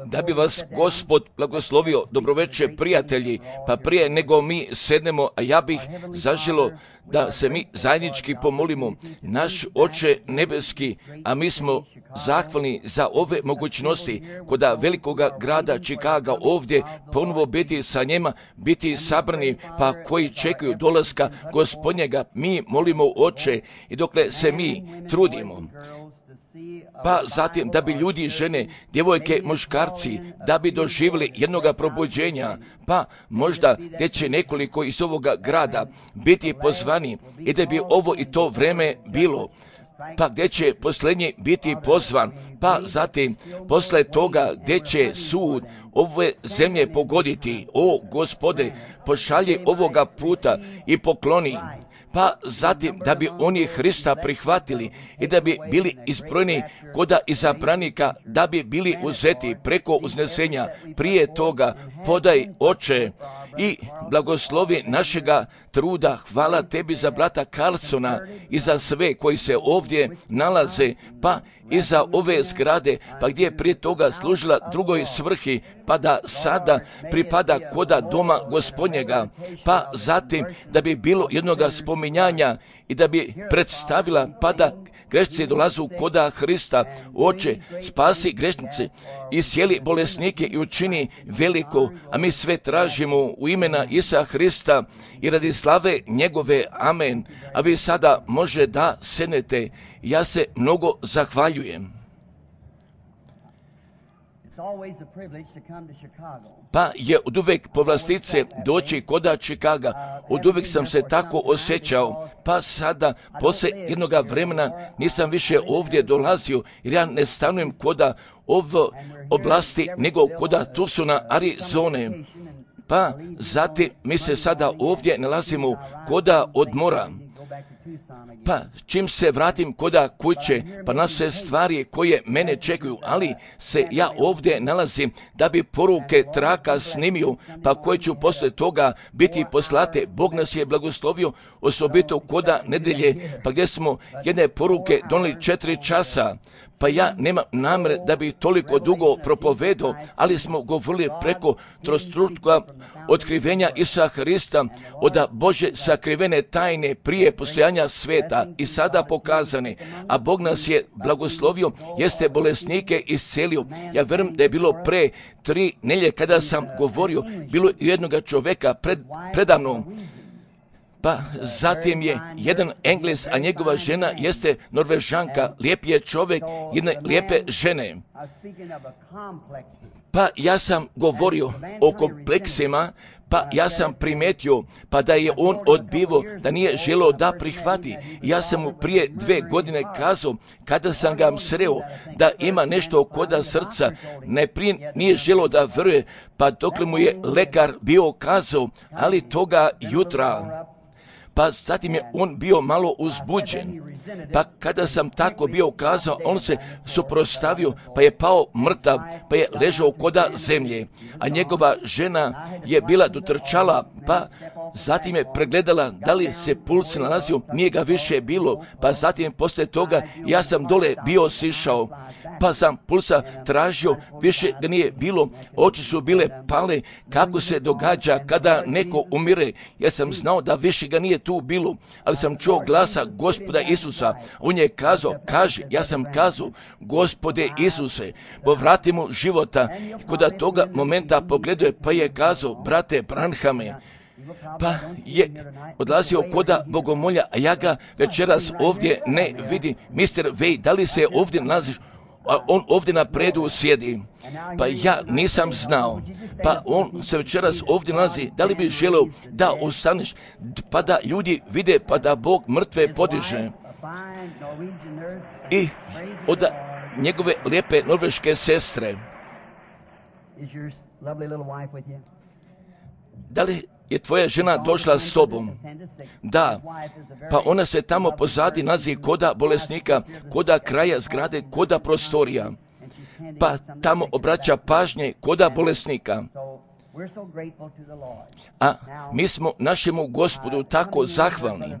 Da bi vas Gospod blagoslovio, dobroveče prijatelji, pa prije nego mi sednemo, a ja bih zaželo da se mi zajednički pomolimo. Naš Oče nebeski, a mi smo zahvalni za ove mogućnosti kod velikoga grada Čikaga ovdje ponovo biti sa njima, biti sabrani, pa koji čekaju dolaska Gospodnjega. Mi molimo Oče i dokle se mi trudimo, pa zatim da bi ljudi, žene, djevojke, muškarci, da bi doživjeli jednoga probuđenja, pa možda gdje će nekoliko iz ovoga grada biti pozvani i da bi ovo i to vreme bilo, pa gdje će posljednji biti pozvan, pa zatim posle toga gdje će sud ove zemlje pogoditi. O Gospode, pošalji ovoga puta i pokloni, pa zatim da bi oni Hrista prihvatili i da bi bili izbrojeni koda izabranika, da bi bili uzeti preko uznesenja. Prije toga podaj, Oče, i blagoslovi našega truda. Hvala tebi za brata Carlsona i za sve koji se ovdje nalaze, pa i za ove zgrade, pa gdje je prije toga služila drugoj svrhi, pa da sada pripada koda doma Gospodnjega, pa zatim da bi bilo jednoga spominjanja i da bi predstavila, pa da grešnici dolazu koda Hrista. Oče, spasi grešnice i sjeli bolesnike i učini veliko, a mi sve tražimo u imena Isa Hrista i radi slave njegove. Amen. A vi sada može da sednete. Ja se mnogo zahvaljujem. Pa je od uvek povlastice doći koda Čikaga. Od uvek sam se tako osjećao, pa sada poslije jednoga vremena nisam više ovdje dolazio, jer ja ne stanujem koda ovo oblasti, nego koda Tucsona, Arizone. Pa zatim mi se sada ovdje nalazimo koda odmora. Pa čim se vratim koda kuće, pa na sve stvari koje mene čekaju, ali se ja ovdje nalazim da bi poruke traka snimio, pa koje ću posle toga biti poslate. Bog nas je blagoslovio, osobito koda nedelje, pa gdje smo jedne poruke doneli 4 časa. Pa ja nemam namere da bi toliko dugo propovedao, ali smo govorili preko trostruka otkrivenja Isusa Hrista, od Bože sakrivene tajne prije postojanja sveta i sada pokazane. A Bog nas je blagoslovio, jeste bolesnike iscelio. Ja verujem da je bilo pre 3 nelje kada sam govorio, bilo jednoga čoveka predamnom. Pa zatim je jedan Englez, a njegova žena jeste Norvežanka. Lijep je čovjek jedne lijepe žene. Pa ja sam govorio o kompleksima, pa ja sam primetio, pa da je on odbivo, da nije želeo da prihvati. Ja sam mu prije 2 godine kazao, kada sam ga sreo, da ima nešto koda srca, najprije nije želeo da veruje, pa dok mu je lekar bio kazao, ali toga jutra. Pa zatim je on bio malo uzbuđen. Pa kada sam tako bio kazao, on se suprotstavio, pa je pao mrtav, pa je ležao koda zemlje. A njegova žena je bila dotrčala, pa zatim je pregledala da li se puls nalazio, nije ga više bilo. Pa zatim posle toga ja sam dole bio sišao, pa sam pulsa tražio, više ga nije bilo. Oči su bile pale, kako se događa kada neko umire. Ja sam znao da više ga nije tu bilo, ali sam čuo glasa Gospoda Isusa. On je kazao, kaži, ja sam kazao, Gospode Isuse, povrati mu života. Kod toga momenta pogledao je, pa je kazao, brate Branhame, pa je odlazio koda bogomolja, a ja ga večeras ovdje ne vidim. Mr. Vej, da li se ovdje nalaziš? A on ovdje na predu sjedi. Pa ja nisam znao. Pa on se večeras ovdje nalazi. Da li bi želeo da ostaneš, pa da ljudi vide, pa da Bog mrtve podiže? I od njegove lijepe norveške sestre. Da li je tvoja žena došla s tobom? Da. Pa ona se tamo pozadi nalazi koda bolesnika, koda kraja zgrade, koda prostorija. Pa tamo obraća pažnje koda bolesnika. A mi smo našemu Gospodu tako zahvalni.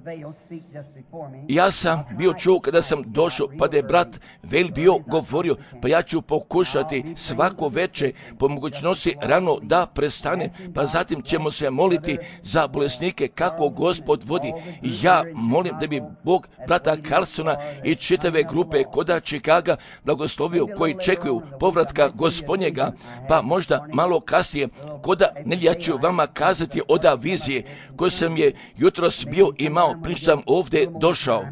Ja sam bio čuo kada sam došao, pa da je brat Vel bio govorio, pa ja ću pokušati svako veče po mogućnosti rano da prestane, pa zatim ćemo se moliti za bolesnike kako Gospod vodi. I ja molim da bi Bog brata Carlsona i čitave grupe koda Chicaga blagoslovio koji čekuju povratka Gospodnjega, pa možda malo kasnije koda Nelja ću vama kazati od vizije koju sam je jutros bio imao, prije sam ovdje došao.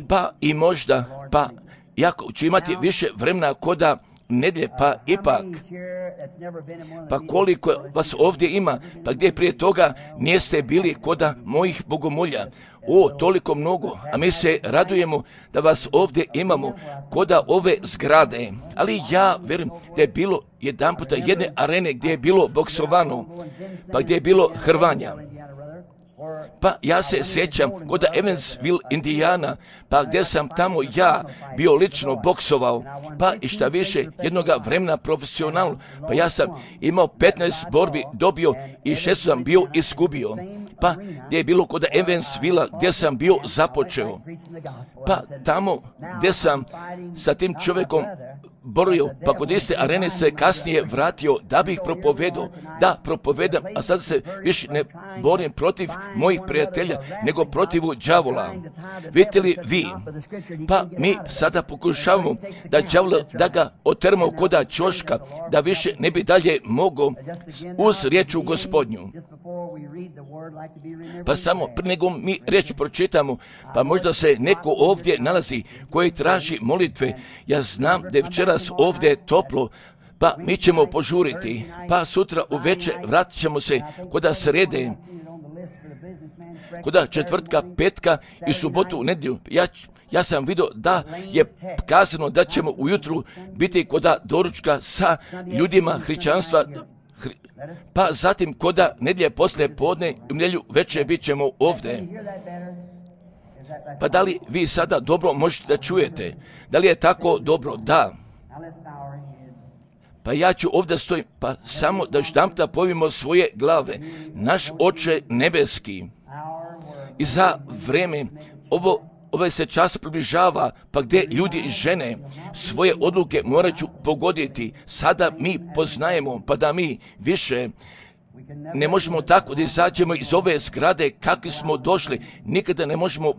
Pa i možda, pa jako ću imati više vremena koda nedjelje, pa ipak, pa koliko vas ovdje ima, pa gdje prije toga niste bili koda mojih bogomolja. O, toliko mnogo, a mi se radujemo da vas ovdje imamo koda ove zgrade. Ali ja verujem da je bilo jedan puta jedne arene gdje je bilo boksovano, pa gdje je bilo hrvanja. Pa ja se sjećam kod Evansville, Indijana, pa gdje sam tamo ja bio lično boksovao, pa i šta više jednoga vremena profesionalno, pa ja sam imao 15 borbi dobio i 6 sam bio izgubio, pa gdje je bilo kod Evansville gdje sam bio započeo, pa tamo gdje sam sa tim čovjekom borio, pa kod iste arene se kasnije vratio da bih propovedao, da propovedam, a sad se više ne borim protiv mojih prijatelja, nego protiv đavola. Vidite li vi? Pa mi sada pokušavamo da đavola, da ga otermo koda ćoška, da više ne bi dalje mogao uz riječ u Gospodnju. Pa samo prije nego mi riječ pročitamo, pa možda se neko ovdje nalazi koji traži molitve. Ja znam da je večeras ovdje toplo, pa mi ćemo požuriti, pa sutra uveče vratit ćemo se koda srede, koda četvrtka, petka i subotu, nedjelju. Ja sam vidio da je kazano da ćemo ujutru biti koda doručka sa ljudima hrišćanstva, pa zatim koda nedjelje poslije podne i u nedjelju večer bit ćemo ovdje. Pa da li vi sada dobro možete da čujete? Da li je tako dobro? Da. Pa ja ću ovdje stojim, pa samo da štamta povimo svoje glave. Naš Oče nebeski, i za vreme ovaj se čas približava, pa gdje ljudi i žene svoje odluke morat ću pogoditi. Sada mi poznajemo, pa da mi više ne možemo tako da izađemo iz ove zgrade kakvi smo došli. Nikada ne možemo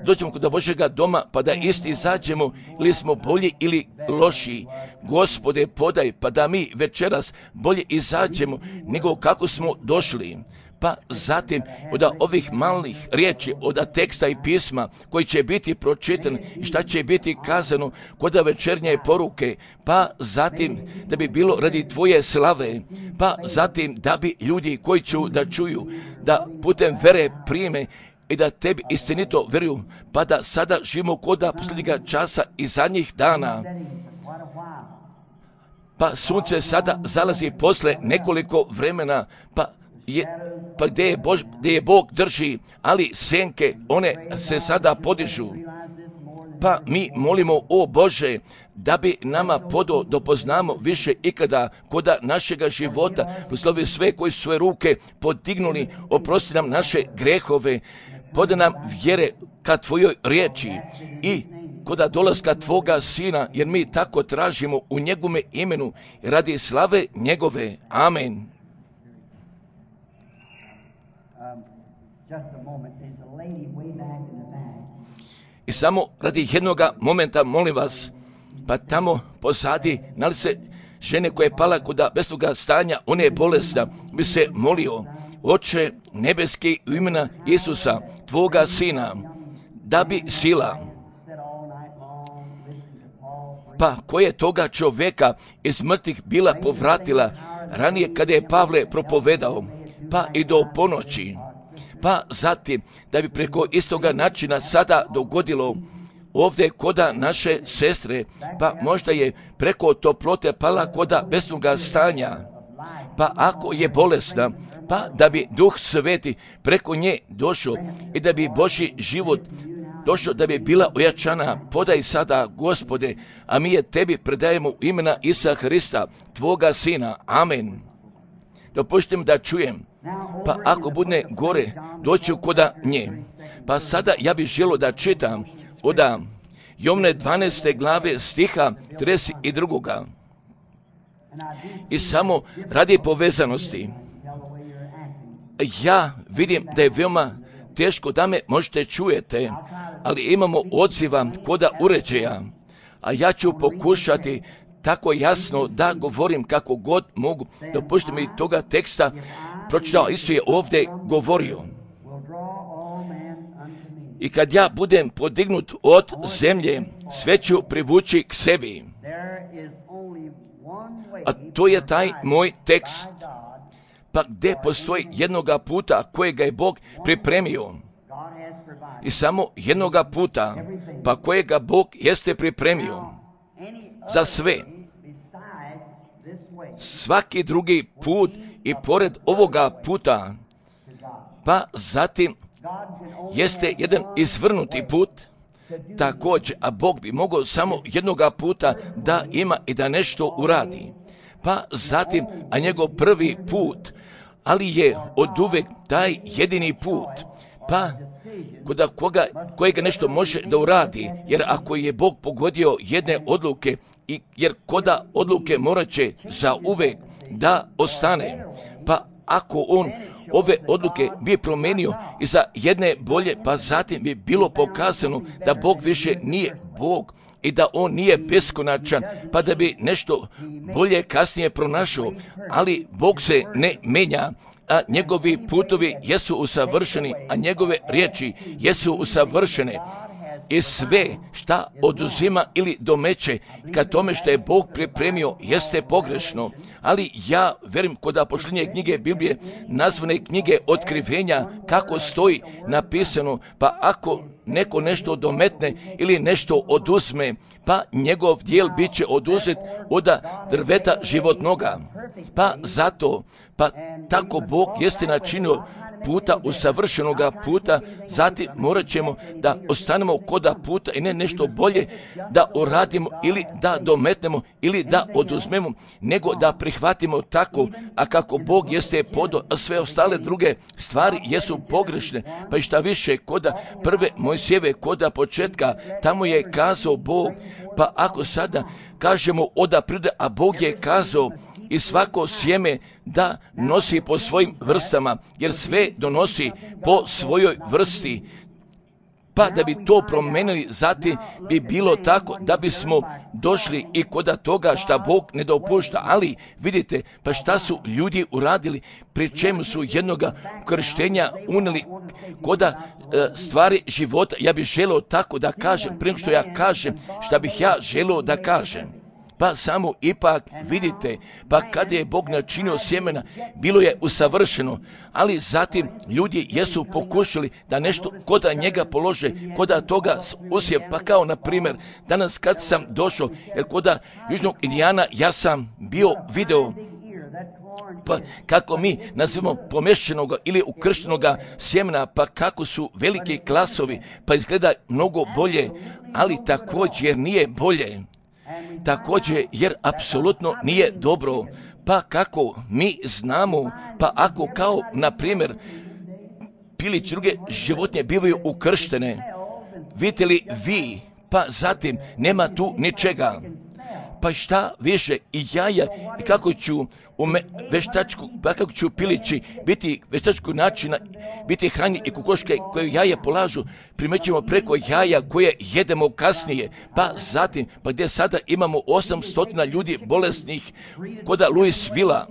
dođemo kod Božjega doma pa da isti izađemo, ili smo bolji ili lošiji. Gospode, podaj pa da mi večeras bolje izađemo nego kako smo došli. Pa zatim od ovih malih riječi, od teksta i pisma koji će biti pročitan i šta će biti kazano kod večernje poruke, pa zatim da bi bilo radi tvoje slave, pa zatim da bi ljudi koji ću da čuju, da putem vere prime i da tebi istinito vjeruju, pa da sada živimo koda posljednjega časa i zadnjih dana. Pa sunce sada zalazi posle nekoliko vremena, pa gdje je Bog drži, ali senke, one se sada podižu. Pa mi molimo, o Bože, da bi nama podo dopoznamo više ikada koda našega života, poslovi sve koji su svoje ruke podignuli, oprosti nam naše grehove, poda nam vjere ka tvojoj riječi i koda dolaska tvoga Sina, jer mi tako tražimo u njegome imenu radi slave njegove. Amen. I samo radi jednoga momenta, molim vas, pa tamo pozadi, nali se žene koja je pala kod besnoga stanja, ona je bolesna, bi se molio, Oče nebeski, u imena Isusa, tvoga Sina, da bi sila, pa koje toga čovjeka iz mrtvih bila povratila ranije kada je Pavle propovedao, pa i do ponoći, pa zatim da bi preko istoga načina sada dogodilo ovdje koda naše sestre, pa možda je preko toplote pala koda besnoga stanja, pa ako je bolesna, pa da bi Duh Sveti preko nje došao i da bi Božji život došao, da bi bila ojačana. Podaj sada, Gospode, a mi je tebi predajemo u imena Isusa Hrista, tvoga Sina. Amen. dopustite mi da čujem. Pa ako bude gore, doću koda nje. Pa sada ja bih želio da čitam od Jovne 12. glave stiha 32. I samo radi povezanosti. Ja vidim da je veoma teško da me možete čujete, ali imamo odziva koda uređaja, a ja ću pokušati tako jasno da govorim kako god mogu. Dopustite mi toga teksta pročitao, Isus je ovdje govorio. I kad ja budem podignut od zemlje, sve ću privući k sebi. A to je taj moj tekst. Pa gdje postoji jednoga puta kojega je Bog pripremio. I samo jednoga puta, pa kojega Bog jeste pripremio za sve. Svaki drugi put i pored ovoga puta, pa zatim jeste jedan izvrnuti put, također, a Bog bi mogao samo jednoga puta da ima i da nešto uradi. Pa zatim, a njegov prvi put, ali je oduvek taj jedini put, pa kojega nešto može da uradi, jer ako je Bog pogodio jedne odluke, jer koda odluke morat će za uvek da ostane, pa ako on ove odluke bi promenio i za jedne bolje, pa zatim bi bilo pokazano da Bog više nije Bog i da on nije beskonačan, pa da bi nešto bolje kasnije pronašao, ali Bog se ne menja, a njegovi putovi jesu usavršeni, a njegove riječi jesu usavršene. I sve šta oduzima ili domeće ka tome što je Bog pripremio jeste pogrešno. Ali ja verujem kod posljednje knjige Biblije, nazvane knjige otkrivenja, kako stoji napisano, pa ako neko nešto dometne ili nešto oduzme, pa njegov dijel bit će oduzet od drveta životnoga. Pa zato, pa tako Bog jeste načinio puta, usavršenoga puta, zatim morat ćemo da ostanemo koda puta i ne nešto bolje da uradimo ili da dometnemo ili da oduzmemo, nego da prihvatimo tako, a kako Bog jeste podo, a sve ostale druge stvari jesu pogrešne. Pa i šta više, koda prve Mojsijeve, koda početka, tamo je kazao Bog, pa ako sada kažemo oda prirode, a Bog je kazao i svako sjeme da nosi po svojim vrstama, jer sve donosi po svojoj vrsti. Pa da bi to promenili, zatim bi bilo tako da bismo došli i koda toga šta Bog ne dopušta. Ali vidite, pa šta su ljudi uradili, pri čemu su jednoga krštenja unijeli koda stvari života. Ja bih želio tako da kažem, prije što ja kažem šta bih ja želio da kažem. Pa samo ipak vidite, pa kada je Bog načinio sjemena, bilo je usavršeno, ali zatim ljudi jesu pokušali da nešto koda njega polože, koda toga usije, pa kao na primjer, danas kad sam došao, jer koda Južnog Indijana ja sam bio video, pa kako mi nazivamo pomešćenoga ili ukrštenoga sjemena, pa kako su veliki klasovi, pa izgleda mnogo bolje, ali također nije bolje. Također, jer apsolutno nije dobro, pa kako mi znamo, pa ako kao, na primjer, pilić druge životinje bivaju ukrštene, vidite li vi, pa zatim nema tu ničega. Pa šta više i jaja, i kako ću kako ću pilići biti veštačkog načina, biti hranjeni i kokoške koje jaje polažu, primećujemo preko jaja koje jedemo kasnije. Pa zatim, pa gdje sada imamo 800 ljudi bolesnih koda Louisville-a,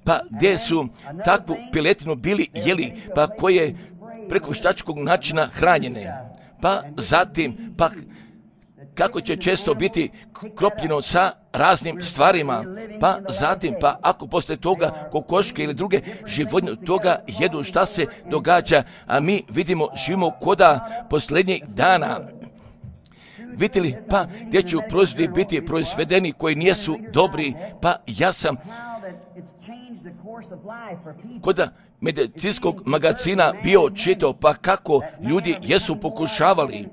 pa gdje su takvu piletinu bili jeli, pa koje preko veštačkog načina hranjene. Pa zatim, pa kako će često biti kropljeno sa raznim stvarima, pa zatim, pa ako posle toga kokoške ili druge životinje toga jedu, šta se događa, a mi vidimo, živimo koda posljednjih dana. Vidite li, pa gdje će proizvodi biti proizvedeni koji nisu dobri, pa ja sam koda medicinskog magazina bio čitao, pa kako ljudi jesu pokušavali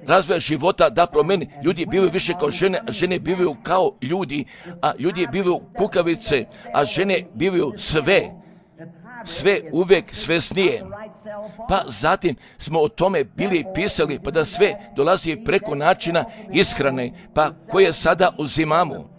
razvoja života da promeni. Ljudi bivaju više kao žene, a žene bivaju kao ljudi, a ljudi bivaju kukavice, a žene bivaju sve uvek svesnije. Pa zatim smo o tome bili pisali, pa da sve dolazi preko načina ishrane, pa koje sada uzimamo.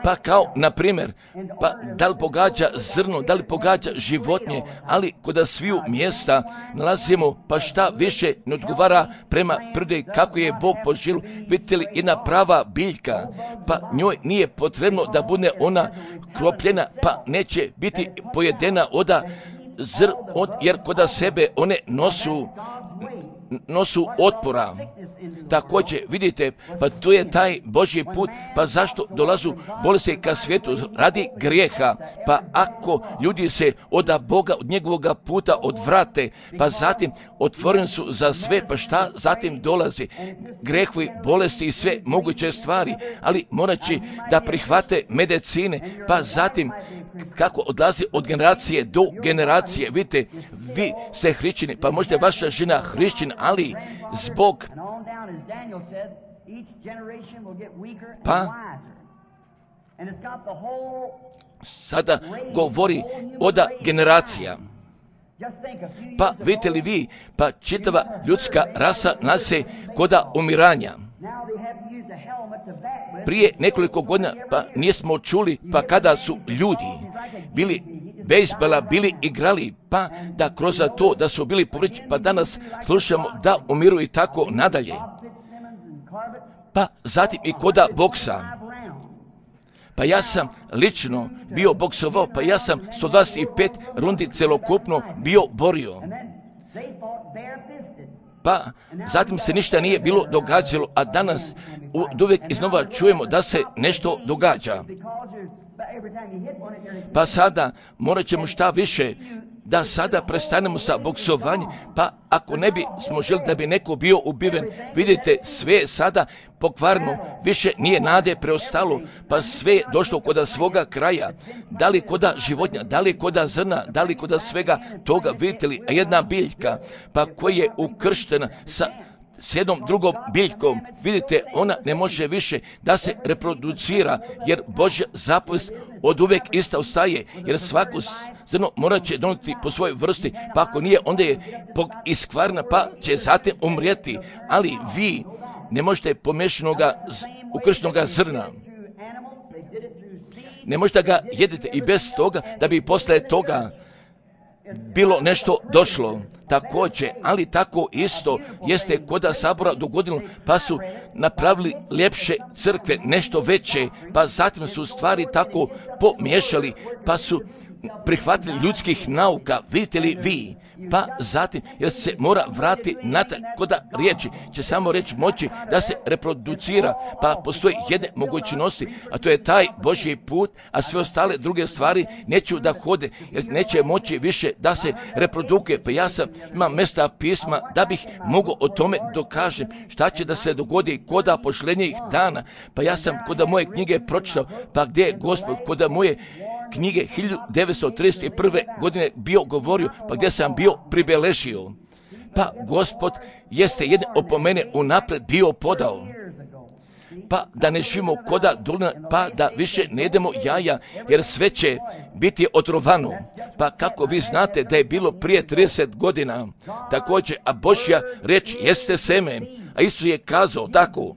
Pa kao, na primjer, pa da li pogađa zrno, da li pogađa životinje, ali kod sviju mjesta nalazimo, pa šta više ne odgovara prema prirodi kako je Bog poželio. Vidite li, jedna prava biljka, pa njoj nije potrebno da bude ona kropljena, pa neće biti pojedena jer kod sebe one nosu otpora. Također, vidite, pa tu je taj Božji put, pa zašto dolazu bolesti ka svijetu? Radi grijeha, pa ako ljudi se od Boga, od njegovoga puta odvrate, pa zatim otvoreni su za sve, pa šta zatim dolazi? Grijehovi, bolesti i sve moguće stvari, ali moraći da prihvate medicine, pa zatim kako odlazi od generacije do generacije. Vidite, vi ste hrišćani, pa možda je vaša žena hrišćan, ali zbog pa sada govori od generacija. Pa vidite li vi, pa čitava ljudska rasa nase koda umiranja. Prije nekoliko godina, pa nismo čuli, pa kada su ljudi bili bejsbola, bili igrali, pa da kroz to da su bili povređeni, pa danas slušamo da umiru i tako nadalje. Pa zatim i koda boksa. Pa ja sam lično bio boksovao, pa ja sam 125 rundi celokupno bio borio. Pa zatim se ništa nije bilo događalo, a danas uvijek iznova čujemo da se nešto događa. Pa sada morat ćemo šta više da sada prestanemo sa boksovanjem, pa ako ne bi smo želi da bi neko bio ubiven, vidite, sve sada pokvarno, više nije nade preostalo, pa sve je došlo kod svoga kraja, da li kod životinja, da li kod zrna, da li kod svega toga, vidite li, jedna biljka, pa koja je ukrštena s jednom drugom biljkom, vidite, ona ne može više da se reproducira, jer Božja zapovest od uvek ista ostaje, jer svako zrno morat će donijeti po svojoj vrsti, pa ako nije, onda je iskvarna, pa će zatim umrijeti, ali vi ne možete pomešanoga ukrštenoga zrna. Ne možete ga jedete i bez toga da bi posle toga bilo nešto došlo. Također, ali tako isto jeste kod sabora dogodilo, pa su napravili ljepše crkve, nešto veće, pa zatim su stvari tako pomiješali, pa su prihvatili ljudskih nauka, vidite li vi, pa zatim, jer se mora vratiti natrag kod riječi, će samo reći moći da se reproducira, pa postoji jedne mogućnosti, a to je taj Božji put, a sve ostale druge stvari neću da hode, jer neće moći više da se reprodukuje, pa ja imam mjesta pisma da bih mogao o tome dokažem šta će da se dogodi kod pošlenjih dana, pa ja sam kod moje knjige pročitao, pa gdje je Gospod kod moje knjige 1931. godine bio govorio, pa gdje sam bio pribeležio. Pa Gospod jeste jedne opomene unapred bio podao. Pa da ne živimo koda dolina, pa da više ne jedemo jaja, jer sve će biti otrovano. Pa kako vi znate da je bilo prije 30 godina, također, a Božja reč jeste seme, a Isus je kazao tako.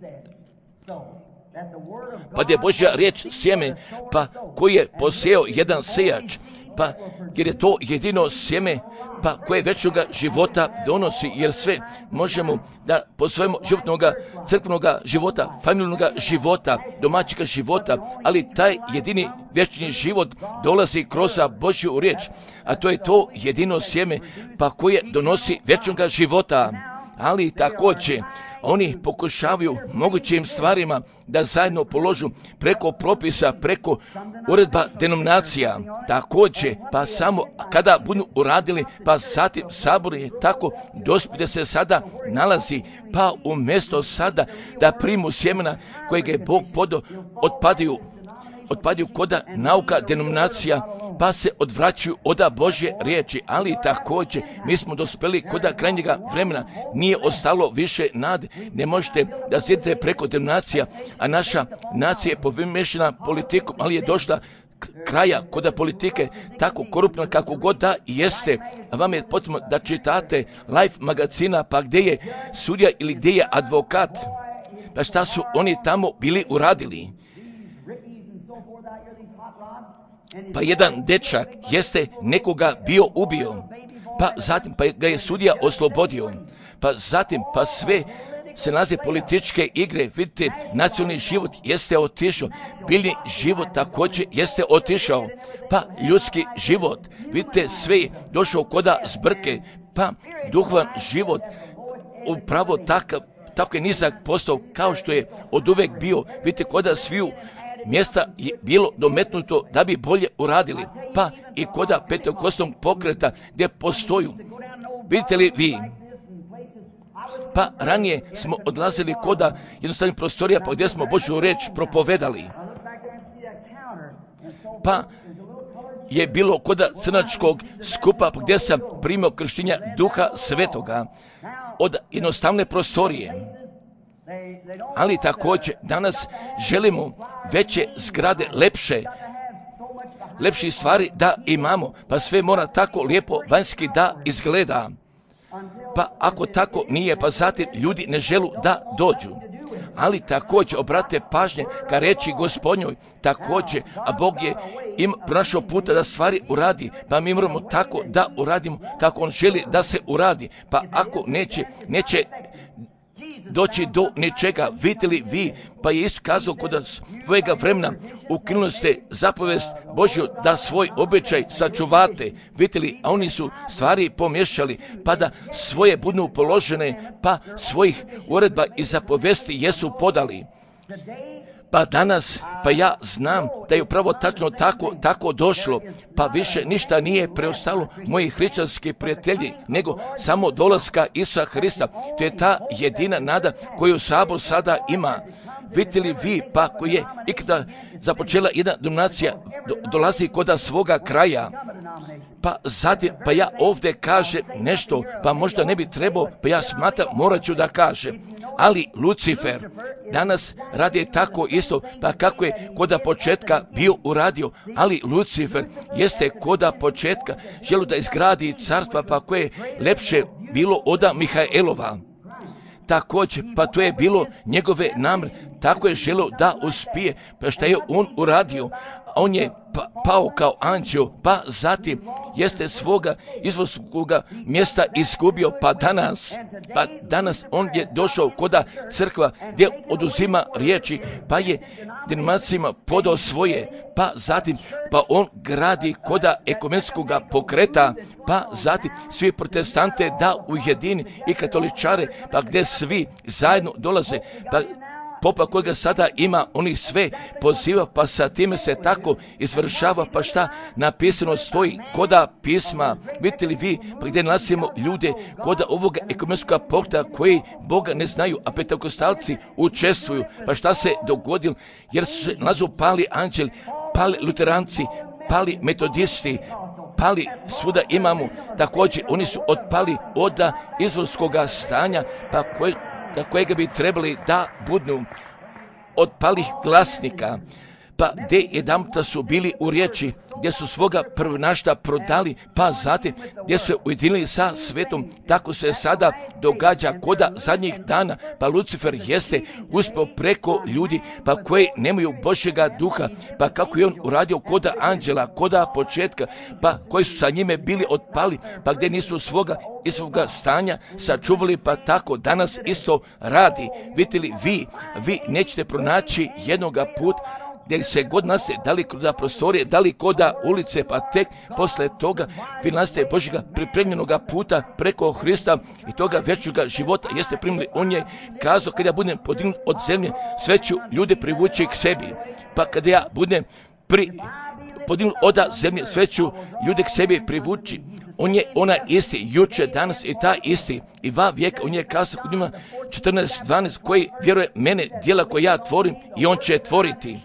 Pa da je Božja riječ sjeme, pa koji je posijao jedan sejač, pa jer je to jedino sjeme, pa koje večnoga života donosi, jer sve možemo da po svojemu životnoga, crkvenoga života, familijnoga života, domaćega života, ali taj jedini vječni život dolazi kroz Božju riječ, a to je to jedino sjeme, pa koje donosi vječnoga života. Ali također, oni pokušavaju mogućim stvarima da zajedno položu preko propisa, preko uredba denominacija. Također, pa samo kada budu uradili, pa zatim sabor je tako dospije se sada nalazi, pa umjesto sada da primu sjemena kojeg je Bog podao, otpadaju otpadaju koda nauka denominacija, pa se odvraćaju od Božje riječi, ali također mi smo dospeli koda krajnjega vremena, nije ostalo više nade. Ne možete da sjedite preko denominacija, a naša nacija je povimešena politikom, ali je došla kraja koda politike tako korupna kako god da jeste, a vam je potrebno da čitate Life magazina, pa gdje je sudija ili gdje je advokat, pa šta su oni tamo bili uradili. Pa jedan dečak jeste nekoga bio ubio, pa zatim pa ga je sudija oslobodio, pa zatim pa sve se nalaze političke igre, vidite, nacionalni život jeste otišao, biljni život također jeste otišao, pa ljudski život, vidite, sve je došao koda zbrke, pa duhovan život upravo tako je nizak postao kao što je od uvek bio, vidite, koda sviju mjesta je bilo dometnuto da bi bolje uradili, pa i koda pentekostnog pokreta gdje postoju. Vidite li vi? Pa ranije smo odlazili koda jednostavnih prostorija pa gdje smo Božju riječ propovedali. Pa je bilo koda crnačkog skupa gdje sam primio krštenja Duha Svetoga od jednostavne prostorije. Ali također danas želimo veće zgrade, lepše stvari da imamo, pa sve mora tako lijepo vanjski da izgleda. Pa ako tako nije, pa zatim ljudi ne želu da dođu. Ali također obrate pažnje ka reći Gospodnjoj, također, a Bog je im pronašao puta da stvari uradi, pa mi moramo tako da uradimo kako On želi da se uradi, pa ako neće doći do ničega. Vidite li vi, pa je isto kazao kod svojega vremena, ukinuli ste zapovest Božju da svoj običaj sačuvate. Vidite li, a oni su stvari pomješali, pa da svoje budu položene, pa svojih uredba i zapovesti jesu podali. Pa danas, pa ja znam da je upravo tačno tako došlo, pa više ništa nije preostalo, moji hrišćanski prijatelji, nego samo dolaska Isusa Hrista. To je ta jedina nada koju Sabor sada ima. Vidite li vi, pa koji je ikada započela jedna denominacija, dolazi koda svoga kraja, pa zatim, pa ja ovdje kažem nešto, pa možda ne bi trebao, pa ja smatram, morat ću da kažem. Ali Lucifer danas radi tako isto, pa kako je koda početka bio uradio, ali Lucifer jeste koda početka želio da izgradi carstva, pa koje je lepše bilo od Mihaelova. Također, pa to je bilo njegove namre, tako je želio da uspije, pa šta je on uradio? On je pao kao anđeo, pa zatim jeste svoga izvorskoga mjesta izgubio, pa danas on je došao koda crkva gdje oduzima riječi, pa je denominacijama podao svoje, pa zatim pa on gradi koda ekumenskoga pokreta, pa zatim svi protestante da ujedini i katoličare, pa gdje svi zajedno dolaze, pa popa kojega sada ima, oni sve poziva, pa sa time se tako izvršava, pa šta napisano stoji koda pisma. Vidite li vi, pa gdje nalazimo ljude koda ovoga ekumenskoga pokreta koji Boga ne znaju, a pentekostalci učestvuju, pa šta se dogodilo, jer su se nalazu pali anđeli, pali luteranci, pali metodisti, pali svuda imamo, također oni su otpali od izvorskoga stanja, pa kojega bi trebali da budu od palih glasnika, pa gdje jedanputa su bili u riječi, gdje su svoga prvonašta prodali, pa zatim gdje su se ujedinili sa svetom, tako se sada događa koda zadnjih dana, pa Lucifer jeste uspio preko ljudi, pa koji nemaju Božjega duha, pa kako je on uradio koda anđela, koda početka, pa koji su sa njime bili otpali, pa gdje nisu svoga stanja sačuvali, pa tako danas isto radi. Vidite li vi nećete pronaći jednoga puta gdje se god nase, da li koda prostorije, da li koda ulice, pa tek posle toga vi naste Božjega pripremljenoga puta preko Hrista i toga vječnoga života jeste primili. On je kazao, kada ja budem podignut od zemlje, sve ću ljude privući k sebi. Pa kada ja budem podignut od zemlje, sve ću ljude k sebi privući. On je ona isti, juče, danas i ta isti. I va vijeka, on je kazao kod njima 14:12, koji vjeruje mene, djela koje ja tvorim i on će tvoriti.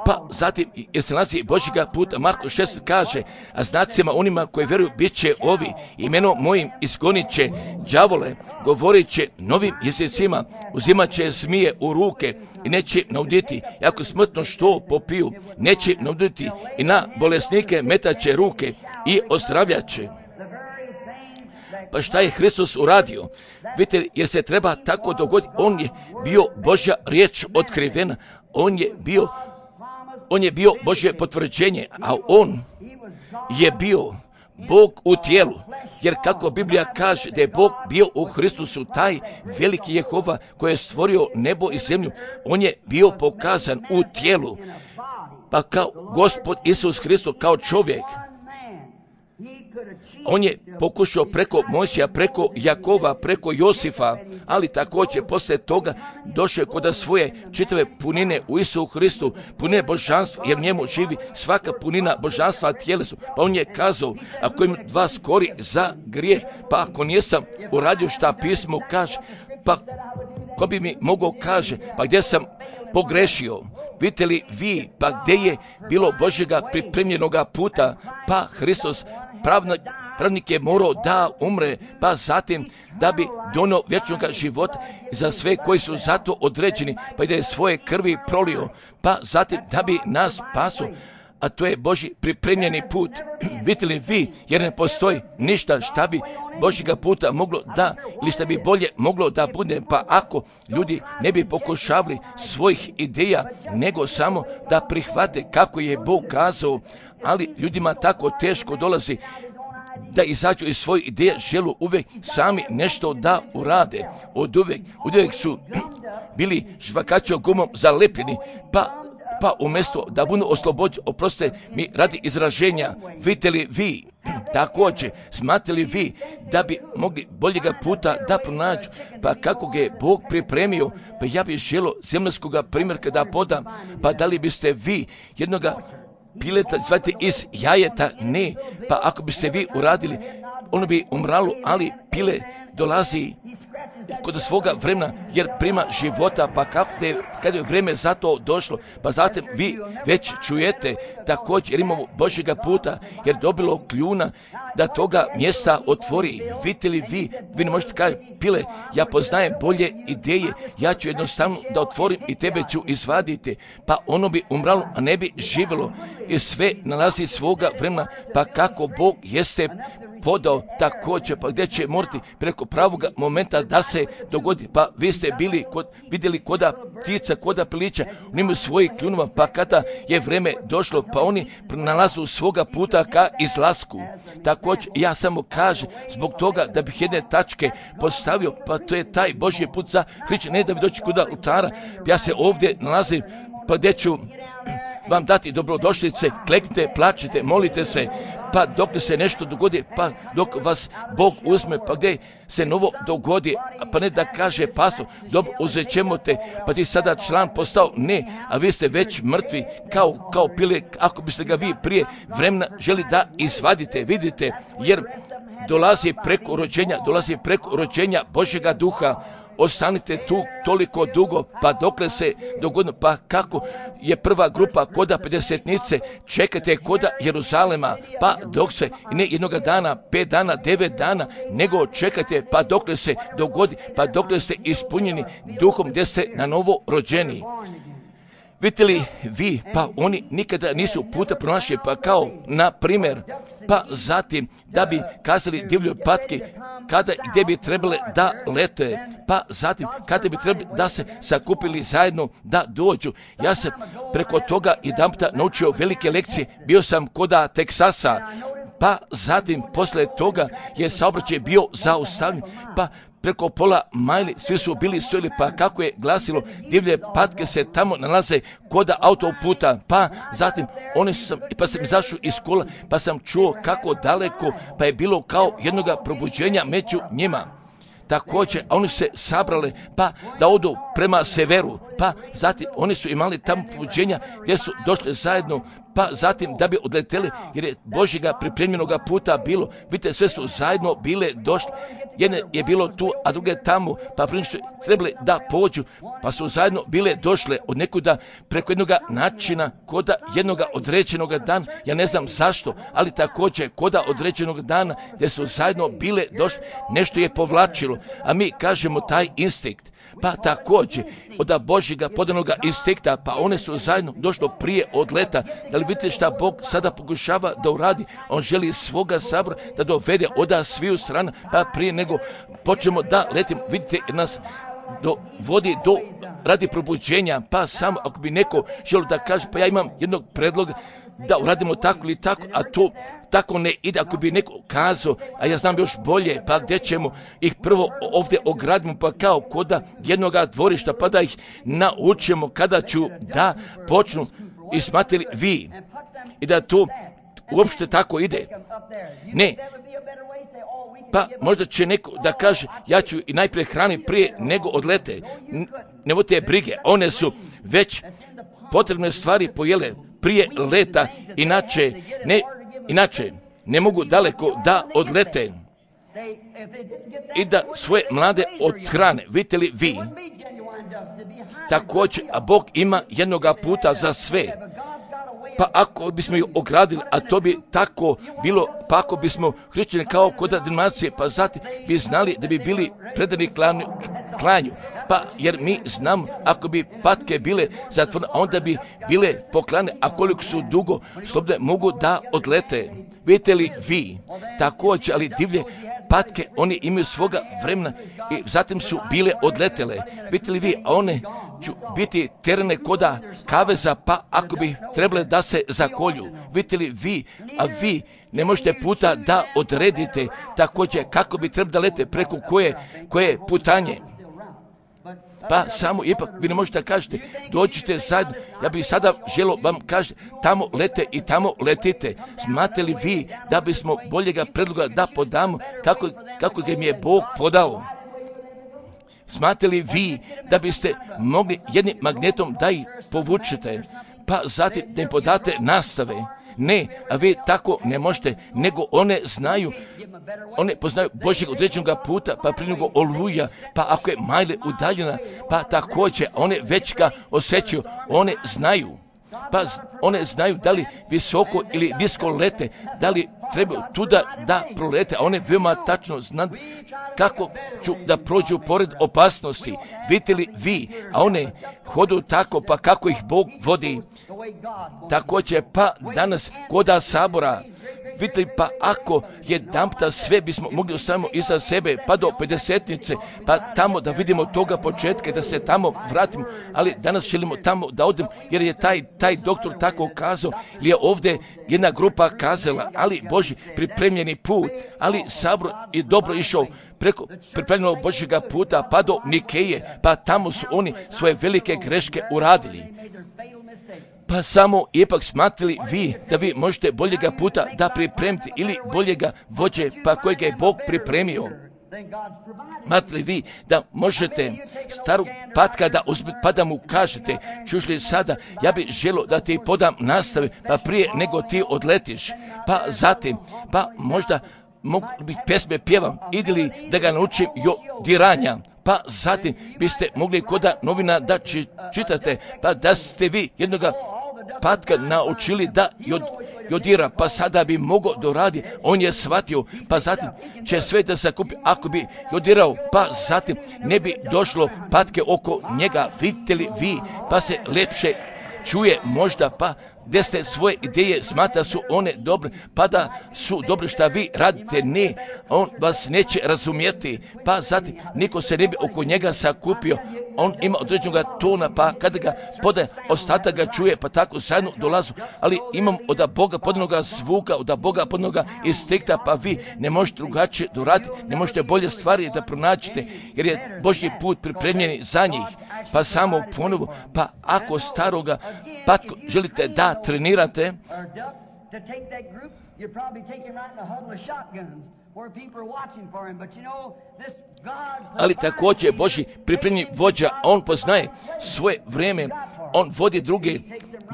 Pa zatim, jer se nalazi Božjega puta, Marko 6 kaže, a znacima onima koji vjeruju bit će ovi, imenom mojim izgonit će đavole, govorit će novim jezicima, uzimat će zmije u ruke i neće nauditi, ako smrtno što popiju, neće nauditi i na bolesnike metat će ruke i ozdravljat će. Pa šta je Hristos uradio? Vidite, jer se treba tako dogoditi, on je bio Božja riječ otkrivena, on je bio Božje potvrđenje, a on je bio Bog u tijelu, jer kako Biblija kaže da je Bog bio u Hristusu, taj veliki Jehova koji je stvorio nebo i zemlju, on je bio pokazan u tijelu, pa kao Gospod Isus Hristos, kao čovjek. On je pokušao preko Mojsija, preko Jakova, preko Josifa, ali također poslije toga došao je kod svoje čitave punine u Isusu Hristu, punine božanstva, jer njemu živi svaka punina božanstva tijelesu. Pa on je kazao, ako im vas kori za grijeh, pa ako nisam uradio šta pismo kaže, pa ko bi mi mogao kaže, pa gdje sam pogrešio? Vidite li vi, pa gdje je bilo Božjega pripremljenoga puta, pa Hristos pravnik je morao da umre, pa zatim da bi donio vječnog života za sve koji su zato određeni, pa i da je svoje krvi prolio, pa zatim da bi nas spasio. A to je Božji pripremljeni put. Vidite li vi, jer ne postoji ništa šta bi Božjega puta moglo da, ili šta bi bolje moglo da bude, pa ako ljudi ne bi pokušavali svojih ideja, nego samo da prihvate kako je Bog kazao, ali ljudima tako teško dolazi da izađu iz svojih ideja, želu uvijek sami nešto da urade. Uvijek su bili žvakačom gumom zalepljeni, pa umjesto da budu oslobođeni, oprostite mi radi izraženja, vidite li vi, također, smatrali vi da bi mogli boljega puta da pronađu, pa kako ga je Bog pripremio, pa ja bih želio zemaljskoga primjerka da podam, pa da li biste vi jednoga pileta zvati iz jajeta? Ne, pa ako biste vi uradili, ono bi umralo, ali pile dolazi kod svoga vremena, jer prima života, pa kad je vrijeme za to došlo, pa zatim vi već čujete također, jer imamo Božjega puta, jer dobilo kljuna da toga mjesta otvori. Vidite li vi ne možete kaži, pile, ja poznajem bolje ideje, ja ću jednostavno da otvorim i tebe ću izvaditi, pa ono bi umralo, a ne bi živjelo, i sve nalazi svoga vremena, pa kako Bog jeste podao također, pa gdje će morati preko pravoga momenta da se dogodi, pa vi ste vidjeli koda ptica, koda pilića, oni imaju svojih kljunova, pa kada je vrijeme došlo, pa oni nalazu svoga puta ka izlasku. Također, ja samo kažem, zbog toga da bih jedne tačke postavio, pa to je taj Božji put za hrišćane, ne da bi doći kod oltara, ja se ovdje nalazim, pa gdje ću vam dati dobrodošlice, kleknite, plačite, molite se, pa dok se nešto dogodi, pa dok vas Bog uzme, pa gdje se novo dogodi, pa ne da kaže pastor, dobro, uzet ćemo te, pa ti sada član postao, ne, a vi ste već mrtvi, kao pile, ako biste ga vi prije vremena želi da izvadite, vidite, jer dolazi preko rođenja Božjega duha. Ostanite tu toliko dugo, pa dokle se dogodno, pa kako je prva grupa koda 50-nice, čekajte koda Jeruzalema, pa dok se, ne jednoga dana, 5 dana, 9 dana, nego čekajte, pa dokle se dogodi, pa dokle ste ispunjeni duhom gdje ste na novo rođeni. Vidite li vi, pa oni nikada nisu puta pronašli, pa kao na primjer, pa zatim da bi kazali divljoj patki kada i gdje bi trebale da lete, pa zatim kada bi trebali da se sakupili zajedno da dođu. Ja sam preko toga jedanputa naučio velike lekcije, bio sam koda Teksasa, pa zatim posle toga je saobraćaj bio zaustavljen, pa preko pola majli svi su bili stojili, pa kako je glasilo, divlje patke se tamo nalaze koda autoputa, pa zatim pa sam izašao iz škola, pa sam čuo kako daleko, pa je bilo kao jednoga probuđenja među njima. Također, a oni se sabrali, pa da odu prema severu, pa zatim oni su imali tamo probuđenja gdje su došli zajedno, pa zatim da bi odleteli, jer je Božjega pripremljenoga puta bilo. Vidite, sve su zajedno bile došli. jedne je bilo tu, a druge tamo, pa prije što trebali da pođu, pa su zajedno bile došle od nekuda preko jednog načina, koda jednog određenog dana, ja ne znam zašto, ali također koda određenog dana gdje su zajedno bile došle, nešto je povlačilo, a mi kažemo taj instinkt. Pa također od Božjega podanog instinkta, pa one su zajedno došlo prije odleta. Da li vidite šta Bog sada pokušava da uradi? On želi svoga sabora da dovede od sviju strana, pa prije nego počnemo da letimo, vidite nas vodi do radi probuđenja, pa samo ako bi neko želio da kaže, pa ja imam jednog predloga da uradimo tako ili tako, a to tako ne ide, ako bi neko kazao, a ja znam još bolje, pa gdje ćemo ih prvo ovdje ogradimo, pa kao koda jednoga dvorišta, pa da ih naučimo kada ću da počnu i smatrali vi i da to uopšte tako ide. Ne. Pa možda će neko da kaže, ja ću i najprije hrani prije nego odlete. Ne vodite brige, one su već potrebne stvari pojele prije leta, inače ne mogu daleko da odlete i da svoje mlade odhrane. Vidite li vi? Također, a Bog ima jednoga puta za sve. Pa ako bismo ih ogradili, a to bi tako bilo, pa ako bismo hrišćani kao kod denominacije, pa zatim bi znali da bi bili predani klanju. Pa jer mi znamo, ako bi patke bile zatvorene, onda bi bile poklane, a koliko su dugo slobodne mogu da odlete. Vidite li vi? Također, ali divlje patke, oni imaju svoga vremena i zatim su bile odletele. Vidite li vi? A one ću biti terene koda kaveza, pa ako bi trebale da se zakolju. Vidite li vi? A vi ne možete puta da odredite također kako bi trebalo da lete preko koje putanje. Pa samo ipak vi ne možete kažete, dođite zajedno, ja bih sada želio vam kažete, tamo lete i tamo letite. Smatrate li vi da bismo boljega predloga da podamo kako ga mi je Bog podao? Smatrate li vi da biste mogli jednim magnetom da ih povučete, pa zatim da im podate nastave? Ne, a vi tako ne možete, nego one poznaju Božjeg određenog puta, pa prije nego oluja, pa ako je majle udaljena, pa također one već ga osjećaju, one znaju da li visoko ili nisko lete, da li trebaju tuda da prolete, a one veoma tačno znaju kako ću da prođu pored opasnosti. Vidite li vi, a one hodu tako, pa kako ih Bog vodi. Također, pa danas koda sabora, vidite li, pa ako jedanputa sve bismo mogli ostavimo iza sebe, pa do 50-nice, pa tamo da vidimo toga početka i da se tamo vratimo, ali danas želimo tamo da odemo, jer je taj doktor tako kazao, ili je ovdje jedna grupa kazala, ali Božji pripremljeni put, ali sabor je dobro išao preko pripremljenog Božjega puta, pa do Nikeje, pa tamo su oni svoje velike greške uradili. Pa samo ipak smatrali vi da vi možete boljega puta da pripremite ili boljega vođe pa kojega je Bog pripremio. Smatrali vi da možete starog patka da uzmete pa da mu kažete, čuš li sada, ja bih želio da ti podam nastave pa prije nego ti odletiš, pa zatim, pa možda mogu biti pesme pjevam, idi li da ga naučim jodiranja, pa zatim biste mogli koda novina da čitate, pa da ste vi jednoga patka naučili da jodira, pa sada bi mogao doradi, on je shvatio, pa zatim će sve da se kupi, ako bi jodirao, pa zatim ne bi došlo patke oko njega, vidite li vi, pa se lepše čuje možda, pa gdje ste svoje ideje smatra su one dobre, pa da su dobre šta vi radite, ne, on vas neće razumjeti, pa zatim niko se ne bi oko njega sakupio, on ima određenog tona, pa kada ga podaje, ostatak ga čuje, pa tako zajedno dolazu, ali imam od Boga podanoga zvuka, od Boga podanoga instinkta, pa vi ne možete drugačije doraditi, ne možete bolje stvari da pronaćete, jer je Božji put pripremljen za njih, pa samo ponovo, pa ako staroga patko želite da trenirate, ali također Božji pripremni vođa, on poznaje svoje vrijeme, on vodi druge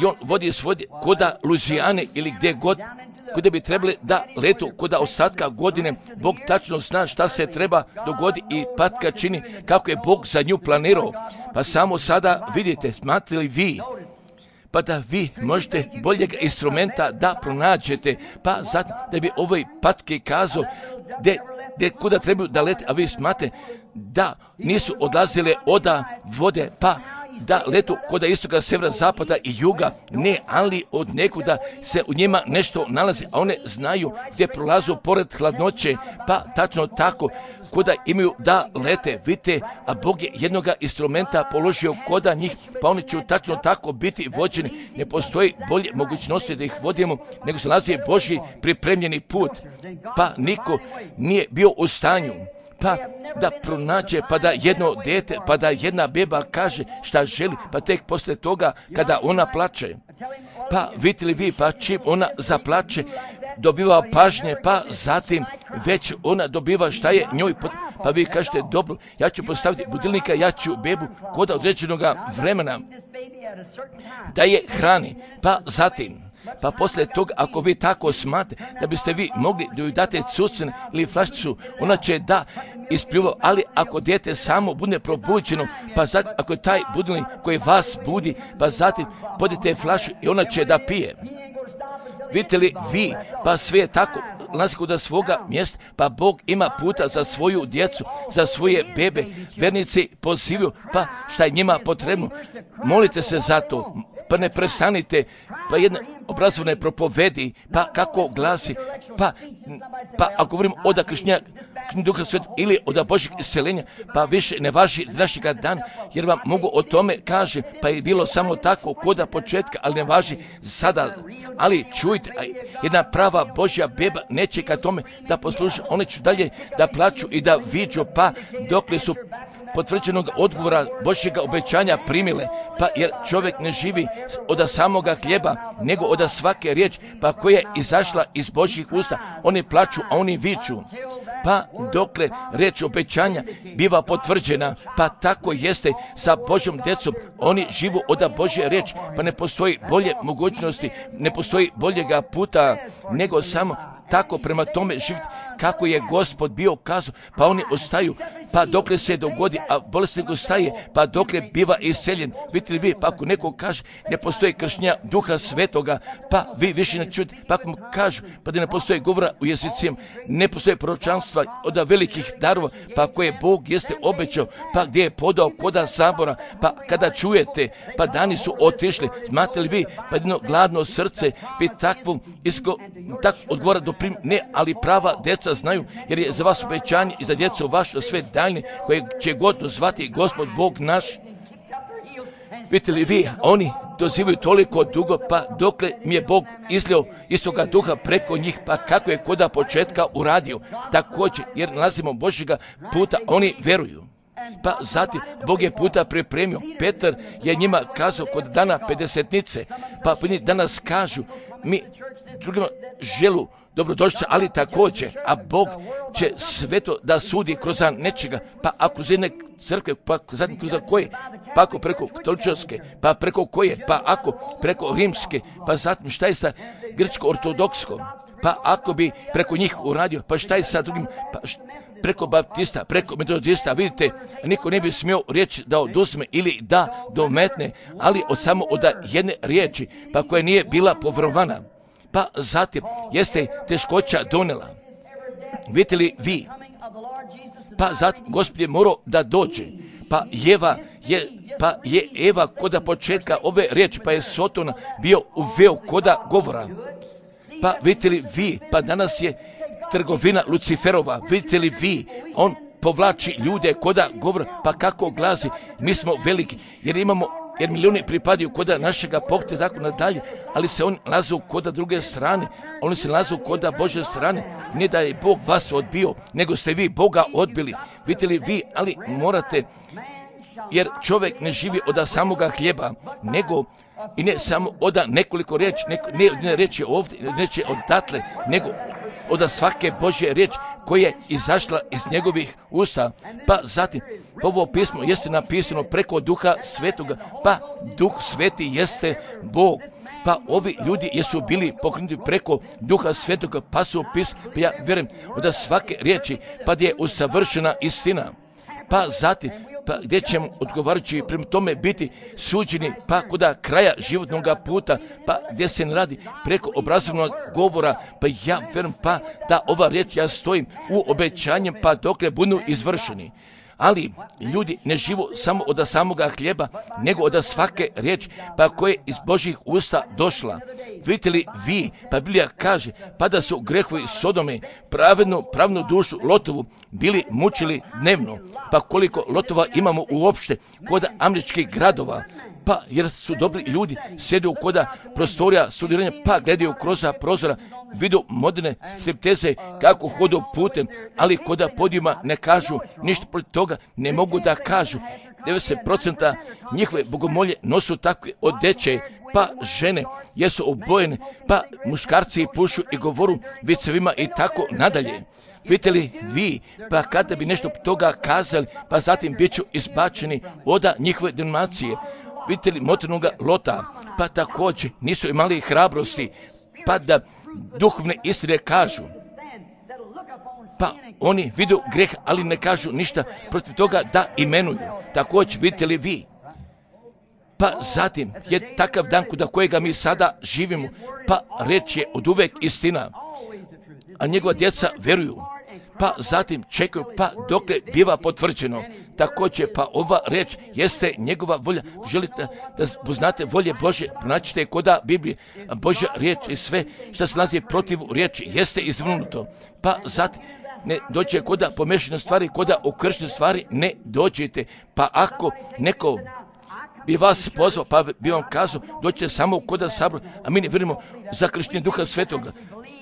i on vodi svoje koda Luzijane ili gdje god kuda bi trebali da letu kod ostatka godine. Bog tačno zna šta se treba dogoditi i patka čini kako je Bog za nju planirao. Pa samo sada vidite, smatrate li vi pa da vi možete boljeg instrumenta da pronađete, pa zato da bi ovoj patke kazao kuda trebaju da lete, a vi smatrate da nisu odlazile oda vode, pa da letu kod istoka, severa, zapada i juga, ne, ali od nekuda se u njima nešto nalazi, a one znaju gdje prolazu pored hladnoće, pa tačno tako, kuda imaju da lete, vidite, a Bog je jednoga instrumenta položio koda njih, pa oni će tačno tako biti vođeni. Ne postoji bolje mogućnosti da ih vodimo, nego se nalazi Božji pripremljeni put, pa niko nije bio u stanju pa da pronađe, pa da jedno dete, pa da jedna beba kaže šta želi, pa tek poslije toga kada ona plače, pa vidite li vi, pa čim ona zaplače, dobiva pažnje, pa zatim već ona dobiva šta je njoj, pa vi kažete, dobro, ja ću postaviti budilnika, ja ću bebu kod određenog vremena da je hrani, pa zatim, pa poslije toga, ako vi tako smatrate da biste vi mogli da joj date cucen ili flašicu, ona će da ispljuva, ali ako dijete samo bude probuđeno, pa zatim, ako je taj budilnik koji vas budi, pa zatim podite flašu i ona će da pije. Vidite li vi, pa sve je tako, nalazi kod svoga mjesta, pa Bog ima puta za svoju djecu, za svoje bebe, vernici pozivaju, pa šta je njima potrebno, molite se za to, pa ne prestanite, pa jedna obrazovne propovedi, pa kako glasi, pa ako govorimo od krštenja Duha Svetog ili od Božjeg isceljenja, pa više ne važi za našega dana, jer vam mogu o tome kaže, pa je bilo samo tako koda početka, ali ne važi sada. Ali čujte, jedna prava Božja beba neće ka tome da posluša, one će dalje da plaću i da viđu, pa dokle su potvrđenog odgovora Božjega obećanja primile, pa jer čovjek ne živi od samoga hljeba, nego od svake riječi, pa koja je izašla iz Božjih usta, oni plaću, a oni viču. Pa dokle riječ obećanja biva potvrđena, pa tako jeste sa Božjom djecom, oni živu od Božje riječi, pa ne postoji bolje mogućnosti, ne postoji boljega puta, nego samo tako prema tome živjeti kako je Gospod bio kazao, pa oni ostaju, pa dokle se dogodi, a bolesnik ostaje, pa dokle biva iseljen. Vidite li vi, pa ako neko kaže ne postoji krštenja Duha Svetoga, pa vi više ne čujete, pa ako mu kažu, pa da ne postoji govora u jezicima, ne postoji proročanstva od velikih darova, pa koje Bog jeste obećao, pa gdje je podao koda sabora, pa kada čujete, pa dani su otišli, znate li vi, pa jedno gladno srce bi takvom tak odgovora doprim, ne, ali prava djeca znaju, jer je za vas obećanje i za djecu vaše sve daljne, koje će god dozvati Gospod Bog naš. Vidite li vi, oni dozivaju toliko dugo, pa dokle mi je Bog izlio istoga duha preko njih, pa kako je koda početka uradio, također, jer nalazimo Božjega puta, oni veruju. Pa zatim, Bog je puta pripremio. Petar je njima kazao kod dana pedesetnice, pa danas kažu, mi drugima želu dobrodošlice, ali također, a Bog će sveto da sudi kroz nečega, pa ako kroz jedne crkve, pa zatim kroz koje, pa ako preko katoličke, pa preko koje, pa ako preko rimske, pa zatim šta je sa grčko-ortodokskom, pa ako bi preko njih uradio, pa šta je sa drugim, pa preko baptista, preko metodista, vidite, niko ne bi smio riječ da oduzme ili da dometne, ali samo od jedne riječi, pa koja nije bila povjerovana. Pa zatim jeste teškoća donela. Vidite li vi? Pa zatim Gospod je morao da dođe. Pa je Eva koda početka ove riječi, pa je Sotona bio uveo koda govora. Pa vidite li vi? Pa danas je trgovina Luciferova. Vidite li vi? On povlači ljude koda govora, pa kako glasi, mi smo veliki, jer milijuni pripadaju koda našega pokreta, tako nadalje, ali se oni nalazu koda druge strane, oni se nalazu koda Božje strane, ne da je Bog vas odbio, nego ste vi Boga odbili. Vidite li vi, ali morate, jer čovjek ne živi od samoga hljeba, nego i ne samo od nekoliko riječi, ne reći ovdje, neće odatle, nego od svake Božje riječi koja je izašla iz njegovih usta. Pa zatim, ovo pismo jeste napisano preko Duha Svetoga, pa Duh Sveti jeste Bog. Pa ovi ljudi jesu bili pokrenuti preko Duha Svetoga, pa su opisali, pa ja vjerujem da svake riječi, pa gdje je usavršena istina. Pa zatim, pa gdje ćemo odgovarajući prema tome biti suđeni, pa kuda kraja životnog puta, pa gdje se ne radi preko obrazovnog govora, pa ja vjerujem pa da ova riječ ja stojim u obećanjem, pa dokle budu izvršeni. Ali ljudi ne živu samo od samoga hljeba, nego od svake riječi, pa koje je iz Božjih usta došla. Vidite li vi, pa Biblija kaže, pa da su grehovi Sodome pravnu dušu Lotovu bili mučili dnevno, pa koliko Lotova imamo uopšte kod američkih gradova, pa jer su dobri ljudi, sjede u koda prostorija studiranja, pa gledaju kroz prozora, vidu moderne stripteze kako hodu putem, ali koda podijuma ne kažu ništa protiv toga, ne mogu da kažu. 90% njihove bogomolje nosu takve odeće, pa žene jesu obojene, pa muškarci pušu i govoru vicevima i tako nadalje. Vidite li vi, pa kada bi nešto toga kazali, pa zatim bit ću izbačeni od njihove denominacije. Vidite li motornoga Lota, pa također nisu imali hrabrosti, pa da duhovne istine kažu. Pa oni vidu greh, ali ne kažu ništa protiv toga da imenuju. Također vidite li vi, pa zatim je takav dan kuda kojega mi sada živimo, pa reč je od uvek istina, a njegova djeca vjeruju. Pa zatim čekaju, pa dokle biva potvrđeno. Također, pa ova reč jeste njegova volja. Želite da poznate volje Božje, pronaćite koda Biblije. Božja riječ i sve što se nalazi protiv riječi jeste izvrnuto. Pa zatim ne dođe koda pomešane stvari, koda okršene stvari ne dođete. Pa ako neko bi vas pozvao, pa bi vam kazao, dođete samo koda sabor, a mi ne vjerujemo za krštenje Duha Svetoga.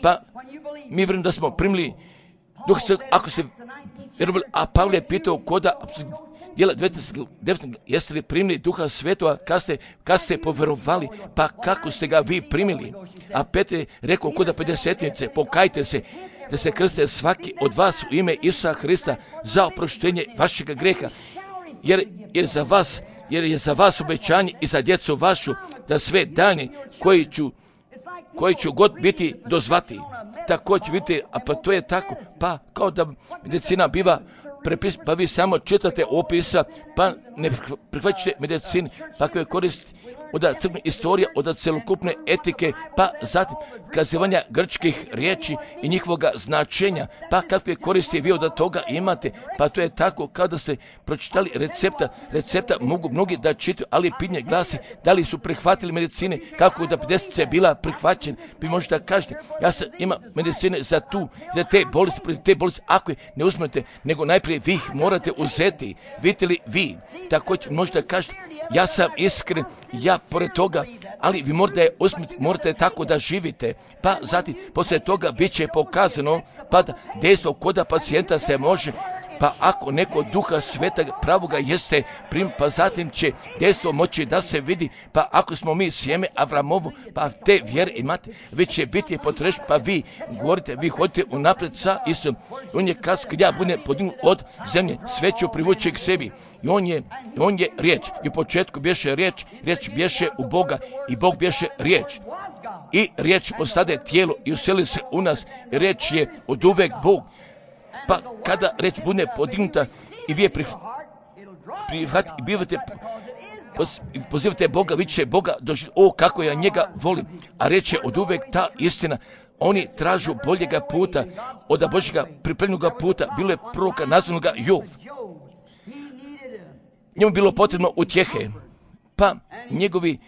Pa mi vjerujemo da smo primili Duh Svetog, ako ste vjerovali, a Pavle je pitao koda djela 19, jeste li primili Duha Svetoga kad ste povjerovali, pa kako ste ga vi primili? A Petar je rekao koda 50-nice, pokajte se, da se krste svaki od vas u ime Isusa Hrista za oproštenje vašega greha, jer je za vas obećanje i za djecu vašu, da sve dani koji ću god biti dozvati. Također vidite, a pa to je tako, pa kao da medicina biva prepis, pa vi samo čitate opisa, pa ne prihvaćate medicini, pa koje koristi od crkvene istorije, od celokupne etike, pa zatim kazivanja grčkih riječi i njihovoga značenja, pa kakve koristi vi od toga imate, pa to je tako kao da ste pročitali recepta mogu mnogi da čitaju, ali pitanje glasi da li su prihvatili medicine, kako da 50 je bila prihvaćena, vi možete da kažete, ja sam ima medicine za te bolesti, ako je ne uzmete, nego najprije vi ih morate uzeti, vidite li vi, također možete da kažete, ja sam iskren, ja pored toga, ali vi morate tako da živite, pa zatim poslije toga bit će pokazano, pa da dejstvo koda pacijenta se može, pa ako neko Duha Svetoga pravoga jeste prim, pa zatim će dejstvo moći da se vidi, pa ako smo mi sjeme Avramovo, pa te vjere imate, vi će biti potrešeni, pa vi govorite, vi hodite unaprijed sa Isusom. On je kazao, kad ja budem podignut od zemlje, sve ću privući k sebi. I on je riječ. I u početku bješe riječ bješe u Boga i Bog bješe riječ. I riječ postade tijelo i useli se u nas. Riječ je od uvek Bog. Pa kada riječ bude podignuta i vi je prihvatite i bivate, pozivate Boga, vi će Boga doživjeti, o kako ja njega volim. A riječ je od uvek ta istina. Oni tražu boljega puta, od Božjega pripremljenog puta. Bilo je proroka nazvanoga Jov. Njemu bilo potrebno utjehe, pa njegovi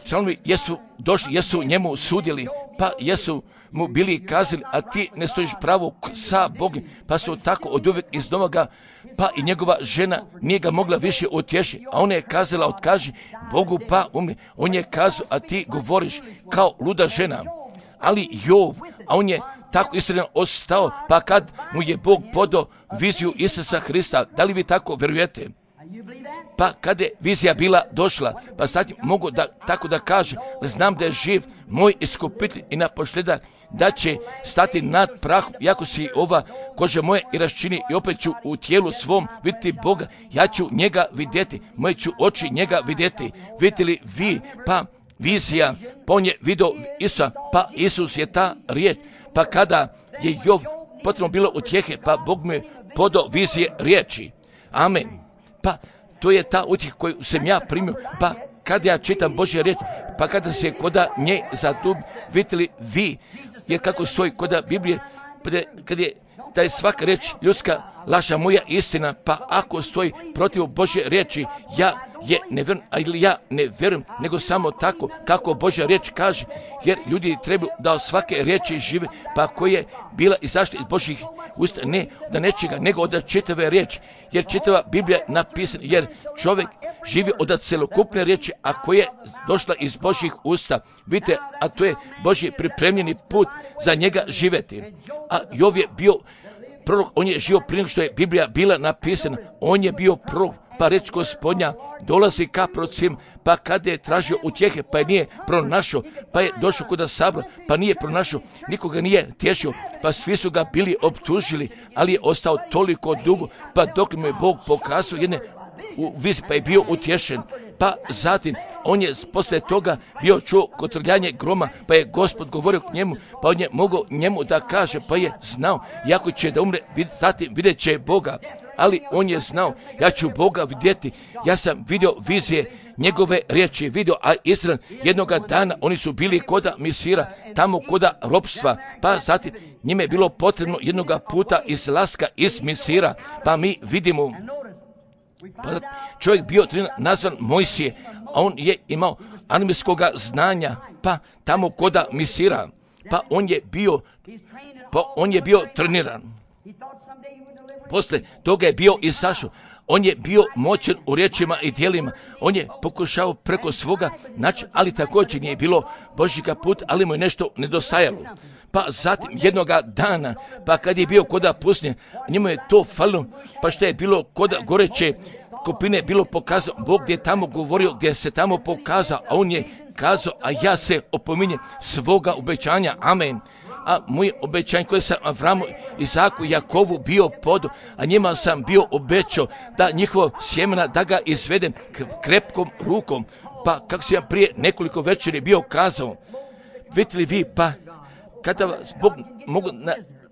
članovi jesu došli, jesu njemu sudjeli, pa jesu mu bili kazali, a ti ne stojiš pravo sa Bogom, pa su tako od uvek iznova ga, pa i njegova žena nije ga mogla više utješiti, a ona je kazala, otkaži Bogu pa umri. On je kazao, a ti govoriš kao luda žena. Ali Jov, a on je tako iskren ostao, pa kad mu je Bog podao viziju Isusa Hrista, da li vi tako vjerujete? Pa kada je vizija bila došla, pa sad mogu tako da kažem, znam da je živ moj iskupitelj i naposljedak da će stati nad prahom, iako si ova koža moja i raščini i opet ću u tijelu svom vidjeti Boga, ja ću njega vidjeti, moje ću oči njega vidjeti. Vidite li vi, pa vizija, pa on je vidio Isusa, pa Isus je ta riječ, pa kada je Jov potrebno bilo utjehe, pa Bog mu je podao vizije riječi. Amen. Pa to je ta utjeha koju sam ja primio, pa kad ja čitam Božje riječ, pa kada se koda nje zadub, vidjeli vi, jer kako stoji koda Biblije, kad je da je svaka riječ ljudska, laža moja istina, pa ako stoji protiv Božje riječi, ja je ne vjerujem, ili ja ne vjerujem, nego samo tako kako Božja riječ kaže, jer ljudi trebaju da od svake riječi žive, pa koja je bila izašla iz Božjih usta, ne da nečega, nego od čitave riječi, jer čitava Biblija je napisana, jer čovjek živi od celokupne riječi, a koja je došla iz Božjih usta. Vidite, a to je Božji pripremljeni put za njega živjeti. A Jov je bio prorok, on je živio prije što je Biblija bila napisana, on je bio prorok, pa reč Gospodnja dolazi ka prorocima, pa kada je tražio utjehe, pa je nije pronašao, pa je došao kod sabora, pa nije pronašao, nikoga nije tješio, pa svi su ga bili optužili, ali je ostao toliko dugo, pa dok mu je Bog pokazao jedne u viziji, pa je bio utješen. Pa zatim on je poslije toga bio čuo kotrljanje groma, pa je Gospod govorio k njemu, pa on je mogao njemu da kaže, pa je znao, jako će da umre, zatim vidjet će Boga, ali on je znao, ja ću Boga vidjeti. Ja sam vidio vizije njegove riječi, vidio, a Izrael jednoga dana oni su bili koda Misira, tamo koda ropstva, pa zatim njime je bilo potrebno jednoga puta izlaska iz Misira, pa mi vidimo, pa čovjek bio nazvan Mojsije, a on je imao armijskoga znanja, pa tamo koda Misira, pa on je bio treniran. Posle toga je bio izašao. On je bio moćan u riječima i djelima. On je pokušao preko svoga načina, ali također nije bilo Božjega puta, ali mu je nešto nedostajalo. Pa zatim jednoga dana, pa kad je bio koda pustinje, njemu je to falilo, pa što je bilo koda goreće kopine bilo pokazao, Bog je tamo govorio, gdje se tamo pokazao, a on je kazao, a ja se opominjem svoga obećanja, amen. A moje obećanje koje sam Avramu, Izaku, Jakovu bio podo, a njima sam bio obećao da njihovo sjemena da ga izvedem krepkom rukom, pa kako sam prije nekoliko večeri bio kazao, vidite li vi, pa kada vas Bog mogu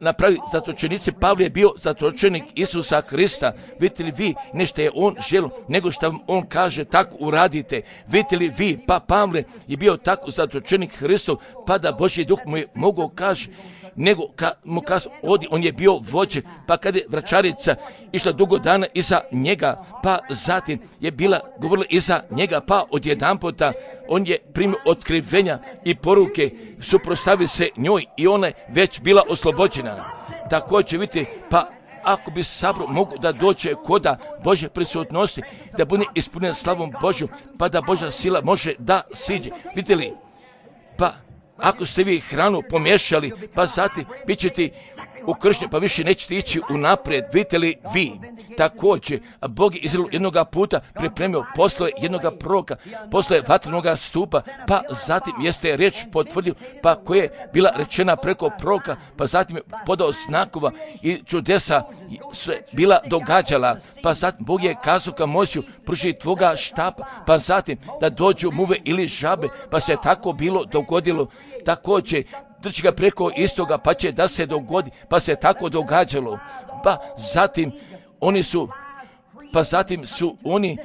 napraviti zatočenici, Pavle je bio zatočenik Isusa Hrista, vidite li vi, nešto je on želio, nego što vam on kaže, tako uradite, vidite li vi, pa Pavle je bio tako zatočenik Hristov, pa da Božji duh mu je mogao kaže, nego mu kaže, on je bio vođe, pa kada je vraćarica išla dugo dana iza njega, pa zatim je bila govorila iza njega, pa odjedanputa on je primio otkrivenja i poruke, suprotstavio se njoj i ona je već bila oslobođena. Također vidite, pa ako bi sabor mogu da dođe koda Božje prisutnosti, da bude ispunjen slavom Božju, pa da Božja sila može da siđe. Vidite li, pa ako ste vi hranu pomiješali, pa zatim bit ćete ukršteni, pa više nećete ići unaprijed, vidite li vi. Također, Bog je Izraelu jednoga puta pripremio poslove jednoga proroka, poslove vatrenoga stupa, pa zatim jeste riječ potvrdio, pa koja je bila rečena preko proroka, pa zatim je podao znakova i čudesa se bila događala, pa zatim Bog je kazao ka Mojsiju, pruži tvoga štapa, pa zatim da dođu muve ili žabe, pa se tako bilo dogodilo. Također, trči ga preko istoga, pa će da se dogodi, pa se tako događalo. Pa zatim su oni,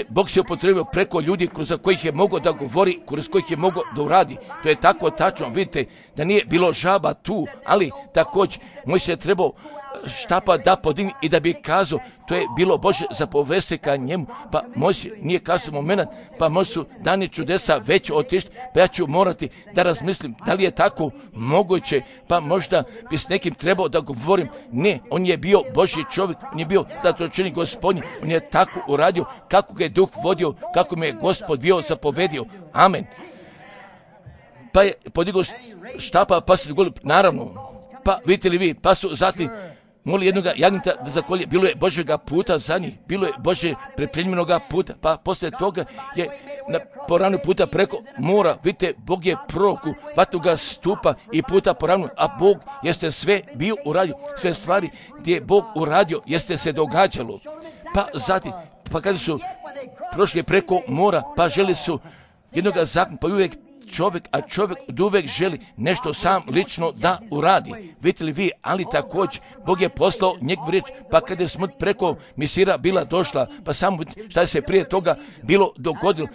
Bog se upotrebio preko ljudi kroz kojih je mogao da govori, kroz kojih je mogao da uradi. To je tako tačno, vidite, da nije bilo žaba tu, ali također moj se trebao štapa da podigni i da bi kazao, to je bilo Bože zapovesti ka njemu, pa Mojsije nije kazao moment, pa možda su dani čudesa već otišli, pa ja ću morati da razmislim da li je tako moguće, pa možda bi s nekim trebao da govorim. Ne, on je bio Božji čovjek, on je bio zatočenik Gospodnji, on je tako uradio kako ga je Duh vodio, kako mi je Gospod bio zapovedio. Amen. Pa je podigao štapa, pa se dogodilo, naravno, pa vidite li vi, pa su zatim moli jednoga jagnjeta da zakolje, bilo je Božjega puta za njih, bilo je Božje pripremljenoga puta, pa poslije toga je po ravnu puta preko mora, vidite, Bog je proroku vatnoga stupa i puta po ravnu, a Bog jeste sve bio uradio, sve stvari gdje je Bog uradio jeste se događalo, pa zatim, pa kada su prošli preko mora, pa želi su jednoga zakona, pa uvijek čovjek od uvijek želi nešto sam lično da uradi. Vidite li vi, ali također Bog je poslao njegovu riječ, pa kada je smrt preko Misira bila došla, pa samo šta se prije toga bilo dogodilo.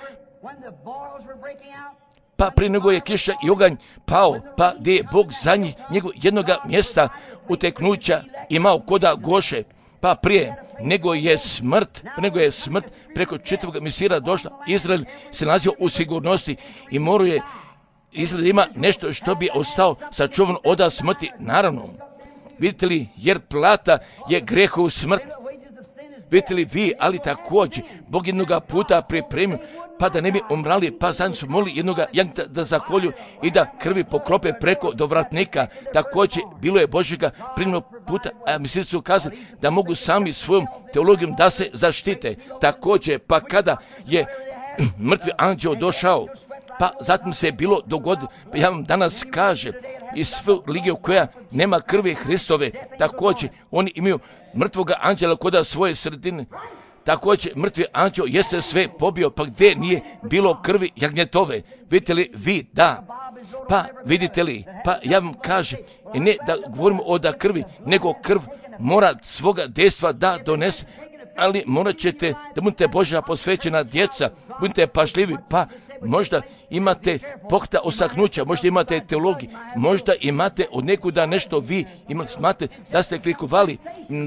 Pa prije nego je kiša i oganj pao, pa gdje je Bog za njih jednoga mjesta uteknuća imao koda Goše, pa prije nego je smrt preko čitavog Misira došla, Izrael se nalazio u sigurnosti i morao je Izrael ima nešto što bi ostao sačuvan od smrti, naravno. Vidite li, jer plata je grehu smrt. Vidite li vi, ali također Bog jednoga puta pripremio, pa da ne bi umrali, pa zajedno su molili jednoga jagnjeta da zakolju i da krvi pokrope preko dovratnika. Također bilo je Božjega primjenog puta, a misli su kazali da mogu sami svojom teologijom da se zaštite. Također, pa kada je mrtvi anđeo došao, pa zatim se je bilo dogodilo, pa ja vam danas kažem, i svu religiju koja nema krvi Hristove, također oni imaju mrtvoga anđela kod svoje sredine. Također mrtvi anđeo jeste sve pobio, pa gdje nije bilo krvi jagnjetove. Vidite li vi, da. Pa vidite li, pa ja vam kažem, i ne da govorimo o da krvi, nego krv mora svoga dejstva da donese, ali morat ćete da budete Božja posvećena djeca, budite pažljivi, pa možda imate pohta osaknuća, možda imate teologiju, možda imate od nekuda nešto vi imate da ste klikovali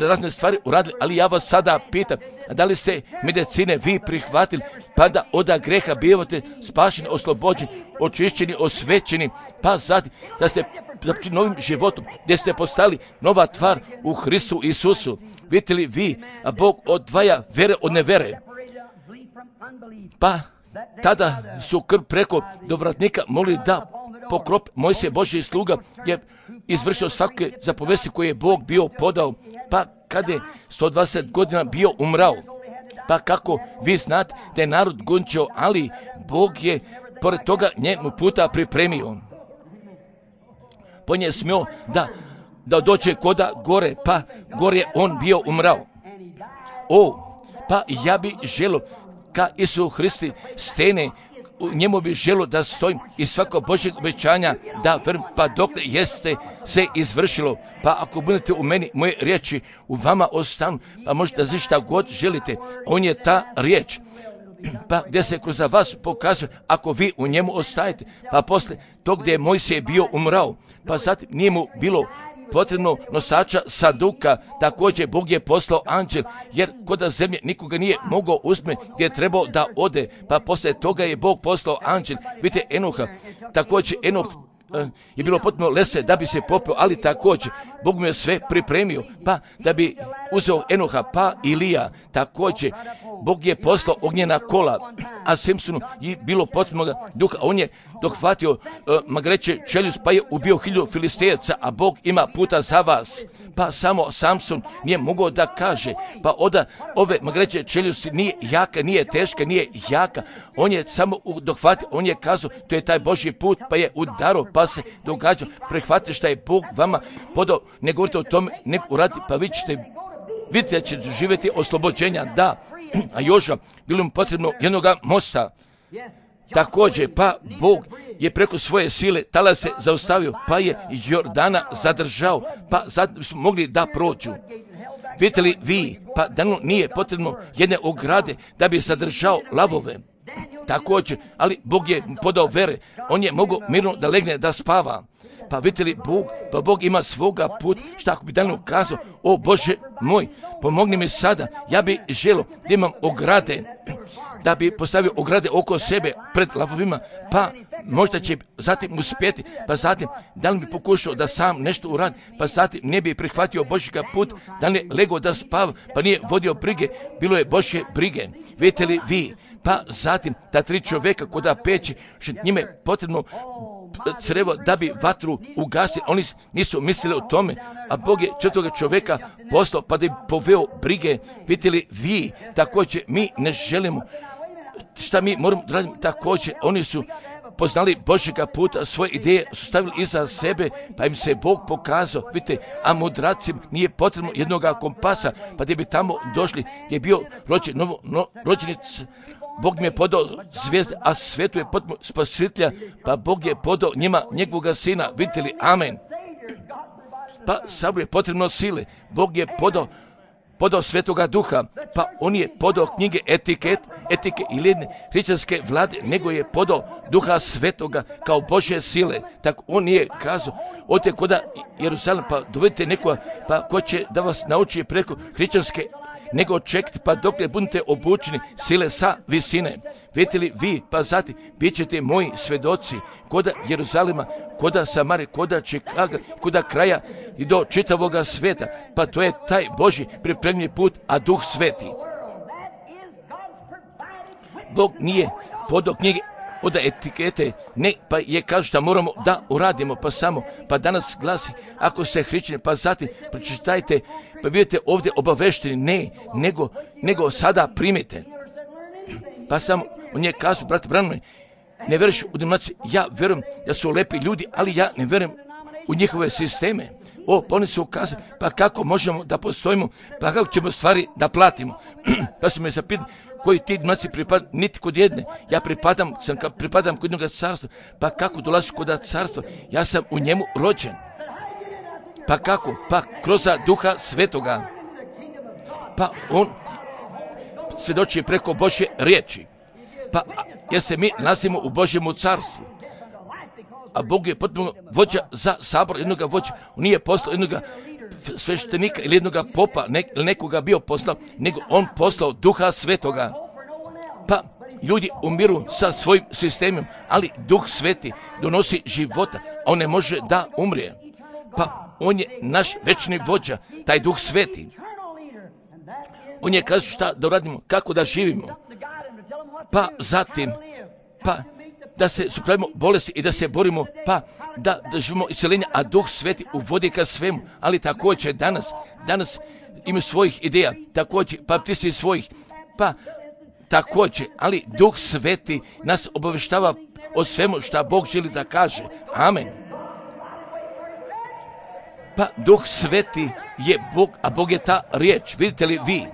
razne stvari uradili, ali ja vas sada pitam, da li ste medicine vi prihvatili, pa da od greha bivate spašeni, oslobođeni, očišćeni, osvećeni, pa zatim da ste novim životom, gdje ste postali nova tvar u Hristu Isusu. Vidite li vi, a Bog odvaja vere od nevere, pa tada su krv preko dovratnika molili da pokrop. Mojsije Božji sluga je izvršio svake zapovesti koje je Bog bio podao, pa kada je 120 godina bio umrao. Pa kako vi znate da je narod gončio, ali Bog je pored toga njemu puta pripremio. Po nje smio da dođe koda gore, pa gore je on bio umrao. Pa ja bi želio ka Isu Hristi stene, u njemu bi želio da stojim i svako Božjeg obećanja da vrm, pa dok jeste se izvršilo. Pa ako budete u meni, moje riječi u vama ostanu, pa možete da šta god želite. On je ta riječ. Pa gdje se kroz vas pokazuje, ako vi u njemu ostajete, pa posle tog gdje je Mojsije bio umrao, pa zatim nije mu bilo potrebno nosača saduka, također Bog je poslao anđel, jer kod zemlje nikoga nije mogao uzme gdje je trebao da ode, pa poslije toga je Bog poslao anđel. Vidite Enoha, također Enoh je bilo potpuno lese da bi se popeo, ali također Bog mu je sve pripremio, pa da bi uzeo Enoha, pa Ilija, također Bog je poslao ognjena kola, a Simpsonu je bilo potrebno duha, on je dohvatio magreće čeljust, pa je ubio 1000 Filistejaca, a Bog ima puta za vas. Pa samo Samson nije mogao da kaže, pa ove magreće čeljusti nije jaka, nije teška, nije jaka, on je samo dohvatio, on je kazao, to je taj Božji put, pa je udaro, pa se događa, prihvatite šta je Bog vama podao, ne govorite o tome, ne uradite, pa vi ćete vidjeti da ćete živjeti oslobođenja, da. A Joža, bilo mu potrebno jednoga mosta. Također, pa Bog je preko svoje sile talase zaustavio, pa je Jordana zadržao, pa zatim smo mogli da prođu. Vidite li vi, pa Danu nije potrebno jedne ograde da bi zadržao lavove. Također, ali Bog je podao vere, on je mogao mirno da legne da spava. Pa vidite li Bog ima svoga put, šta ako bi Danu kazao, o Bože moj, pomogni mi sada, ja bi želio da imam ograde, da bi postavio ograde oko sebe pred lavovima, pa možda će zatim uspjeti, pa zatim da li bi pokušao da sam nešto uradi, pa zatim ne bi prihvatio Božjega put, da li je legao da spava, pa nije vodio brige, bilo je Božje brige. Vidite li vi, pa zatim ta 3 čovjeka koda peći, što njime potrebno crevo da bi vatru ugasili, oni nisu mislili o tome, a Bog je 4. čovjeka poslao pa da bi poveo brige. Vidite li vi, također mi ne želimo, šta mi moramo raditi, također oni su poznali Božjega puta, svoje ideje su stavili iza sebe, pa im se Bog pokazao. Vidite, a mudracima nije potrebno jednoga kompasa, pa gdje bi tamo došli, je bio rođenic, Bog mi je podao zvijezde, a svetu je potpuno spasitelja, pa Bog je podao njima njegovoga sina. Vidite li, amen. Pa Saboru je potrebno sile, Bog je podao Svetoga Duha, pa on je podao knjige etike ili jedne hrišćanske vlade, nego je podao Duha Svetoga kao Božje sile. Tako on je kazao, odite koda Jeruzalem, pa dovedite nekoga, pa ko će da vas nauči preko hrišćanske, nego čekajte pa dok ne budete obučeni sile sa visine. Vidite li vi, pa zatim, bit ćete moji svedoci koda Jeruzalema, koda Samare, koda Čikaga, koda kraja i do čitavoga sveta. Pa to je taj Božji pripremljeni put, a Duh Sveti. Bog nije podao knjige od etikete, ne, pa je kaže šta moramo da uradimo, pa danas glasi, ako se hrišćani, pa zatim pročitajte, pa budete ovdje obavešteni, ne, nego sada primite. Pa samo, on je kazao, brate Branimir, ne vjeruješ u denominaciju, ja vjerujem da su lepi ljudi, ali ja ne vjerujem u njihove sisteme. Pa oni su ukazali, pa kako možemo da postojimo, pa kako ćemo stvari da platimo. Pa su me zapitali, koji ti denominacije pripadam, niti kod jedne. Ja pripadam kod jednog carstva. Pa kako dolaziš kod carstva? Ja sam u njemu rođen. Pa kako? Pa kroz Duha Svetoga. Pa on svjedoči preko Božje riječi. Pa jer se mi nalazimo u Božjemu carstvu. A Bog je potpuno vođa za Sabor, jednoga vođa. On nije poslao jednoga sveštenika ili jednoga popa, ili nekoga bio poslao, nego on poslao Duha Svetoga. Pa ljudi umiru sa svojim sistemom, ali Duh Sveti donosi života, a on ne može da umrije. Pa on je naš večni vođa, taj Duh Sveti. On je kazao šta da uradimo, kako da živimo. Pa zatim, pa da se supravimo bolesti i da se borimo, pa da živimo isceljenja, a Duh Sveti uvodi ka svemu. Ali također danas ima svojih ideja, također pa ti si svojih, pa također, ali Duh Sveti nas obaveštava o svemu šta Bog želi da kaže. Amen. Pa Duh Sveti je Bog, a Bog je ta riječ. Vidite li vi?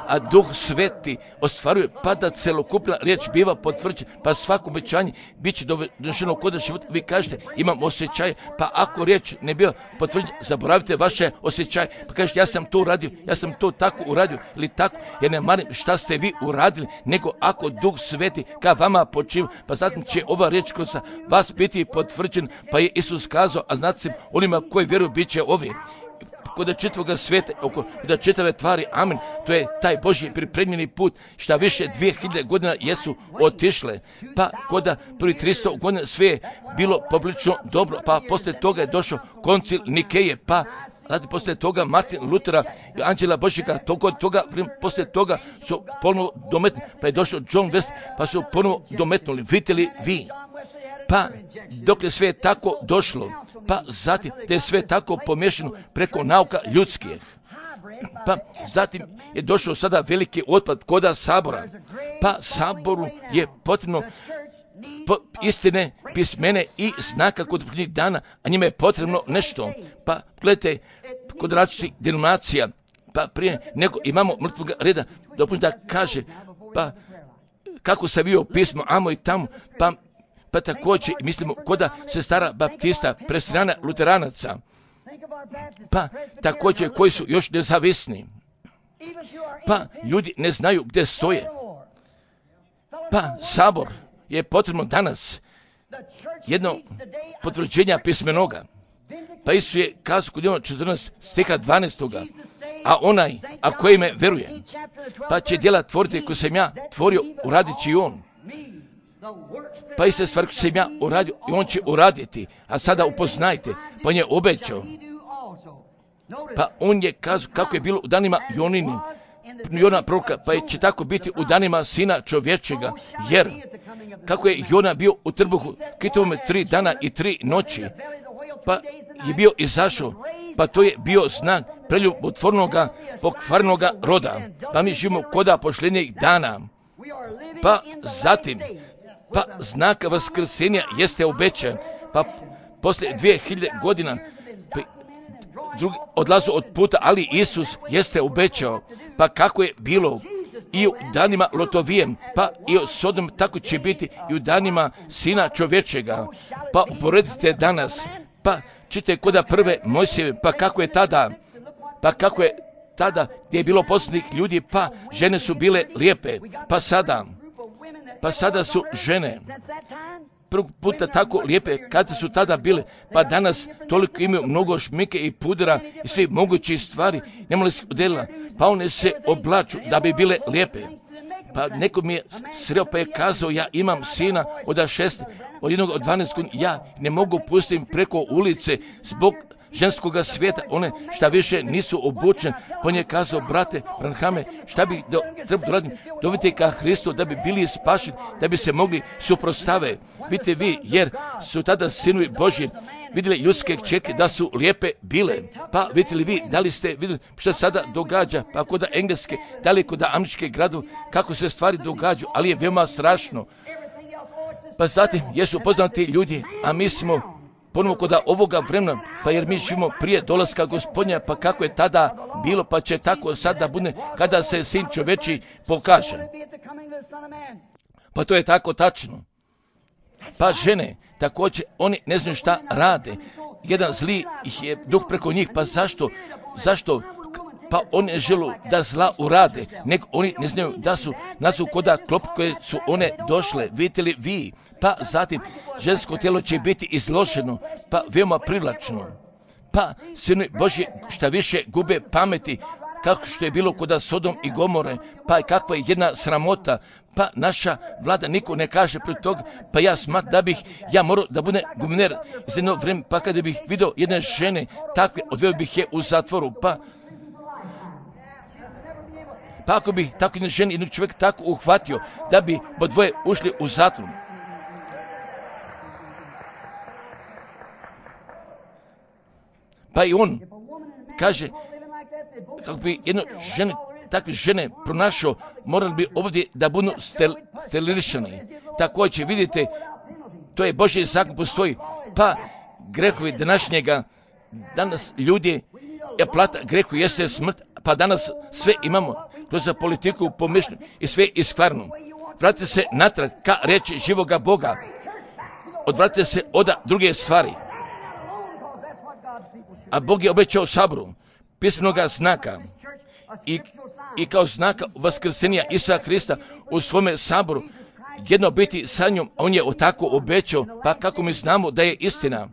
A Duh Sveti ostvaruje, pa da celokupna riječ biva potvrđena, pa svako obećanje bit će donošeno kod života. Vi kažete, imam osjećaj, pa ako riječ ne biva potvrđena, zaboravite vaše osjećaje, pa kažete, ja sam to uradio, ja sam to tako uradio, ili tako, jer ne marim šta ste vi uradili, nego ako Duh Sveti ka vama počiva, pa zatim će ova riječ kroz vas biti potvrđena, pa je Isus kazao, a znate se, onima koji vjeruju bit će ovi. Kod čitavoga svijeta, kod čitave tvari, amen, to je taj Božji pripremljeni put, šta više 2000 godina jesu otišle, pa kod prvi 300 godina sve je bilo poprilično dobro, pa poslije toga je došao koncil Nikeje, pa zatim poslije toga Martin Lutera, Anđela Božjega, poslije toga su ponovo dometnuli, pa je došao John West, pa su ponovo dometnuli, vidite li vi? Pa dok je sve tako došlo, pa zatim da je sve tako pomiješano preko nauka ljudskih. Pa zatim je došao sada veliki otpad koda Sabora. Pa Saboru je potrebno istine, pismene i znaka kod prvih dana, a njima je potrebno nešto. Pa gledajte, kod različitih denominacija, pa prije nego imamo mrtvog reda, dopustite da kaže, pa kako se bio pismo, amo i tamo, pa također mislimo koda sestara baptista, presirana luteranaca, pa također koji su još nezavisni, pa ljudi ne znaju gdje stoje. Pa Sabor je potrebno danas jedno potvrđenja pismenoga. Pa Isus je kazao kod 14 stiha 12. A onaj, a koji me veruje, pa će djela tvoriti koje sam ja tvorio, uradit će i on. Pa iste stvari koje sam ja uradio i on će uraditi, a sada upoznajte, pa on je obećao. Pa on je kazao kako je bilo u danima Jona proroka, pa će tako biti u danima Sina čovječega, jer kako je Jona bio u trbuhu kitovome 3 dana i 3 noći, pa je bio izašao, pa to je bio znak preljubotvornoga, pokvarnoga roda, pa mi živimo koda pošljenjih dana. Pa zatim, Pa znak vaskrsenja jeste obećan. Pa poslije 2000 godina drugi odlazu od puta, ali Isus jeste obećao. Pa kako je bilo i u danima Lotovijem, pa i u Sodom, tako će biti i u danima Sina čovječega. Pa uporedite danas, pa čitajte koda prve Mojsijeve, pa kako je tada gdje je bilo posljednjih ljudi, pa žene su bile lijepe, pa sada su žene prvog puta tako lijepe kada su tada bile, pa danas toliko imaju mnogo šmike i pudra i svi mogućih stvari, nemali se odjelila, pa one se oblaču da bi bile lijepe. Pa neko mi je sreo pa je kazao, ja imam sina od 6, od jednog od 12 godina, ja ne mogu pustiti preko ulice zbog ženskoga svijeta, one šta više nisu obučene. Pa on je kazao, brate Branhame, šta bi trebalo raditi? Dovite ka Hristu da bi bili spašeni, da bi se mogli suprotstave. Vidite vi, jer su tada sinovi Božji vidjeli ljudske kćerke da su lijepe bile. Pa vidite li vi, da li ste vidjeli što sada događa, pa kod engleske, da li kod američke gradove, kako se stvari događaju, ali je veoma strašno. Pa zatim, jesu poznati ljudi, a mi smo ponovo kod ovoga vremena, pa jer mi živimo prije dolaska Gospodnja, pa kako je tada bilo, pa će tako sada bude kada se Sin čovječji pokaže. Pa to je tako tačno. Pa žene, također, oni ne znaju šta rade. Jedan zli ih je duh preko njih, pa zašto? Pa oni ne žele da zla urade, nego oni ne znaju da su koda klop koje su one došle, vidite li vi, pa zatim žensko tijelo će biti izloženo, pa veoma privlačno. Pa sinovi Božji šta više gube pameti, kako što je bilo kod Sodom i Gomore, pa kakva je jedna sramota, pa naša vlada niko ne kaže pred toga, pa ja smatram da bih ja morao da bude guverner za jedno vrijeme, pa kada bih vidio jedne žene takve, odveo bih je u zatvoru, pa ako bi tako jedna žena, jednog čovjeka tako uhvatio, da bi dvoje ušli u zatvor. Pa i on kaže, kako bi jedno žene, takve žene pronašao, morali bi ovdje da budu sterilizirani. Također, vidite, to je Božji zakon postoji, pa grehovi današnjega, danas ljudi, plata grehu jeste smrt, pa danas sve imamo, kroz politiku, pomišljenje i sve iskvarno. Vratite se natrag ka reči živoga Boga. Odvratite se od druge stvari. A Bog je obećao saboru pismenoga znaka i kao znaka vaskrsenja Isusa Hrista u svome saboru jedno biti sa njom, on je tako obećao, pa kako mi znamo da je istina.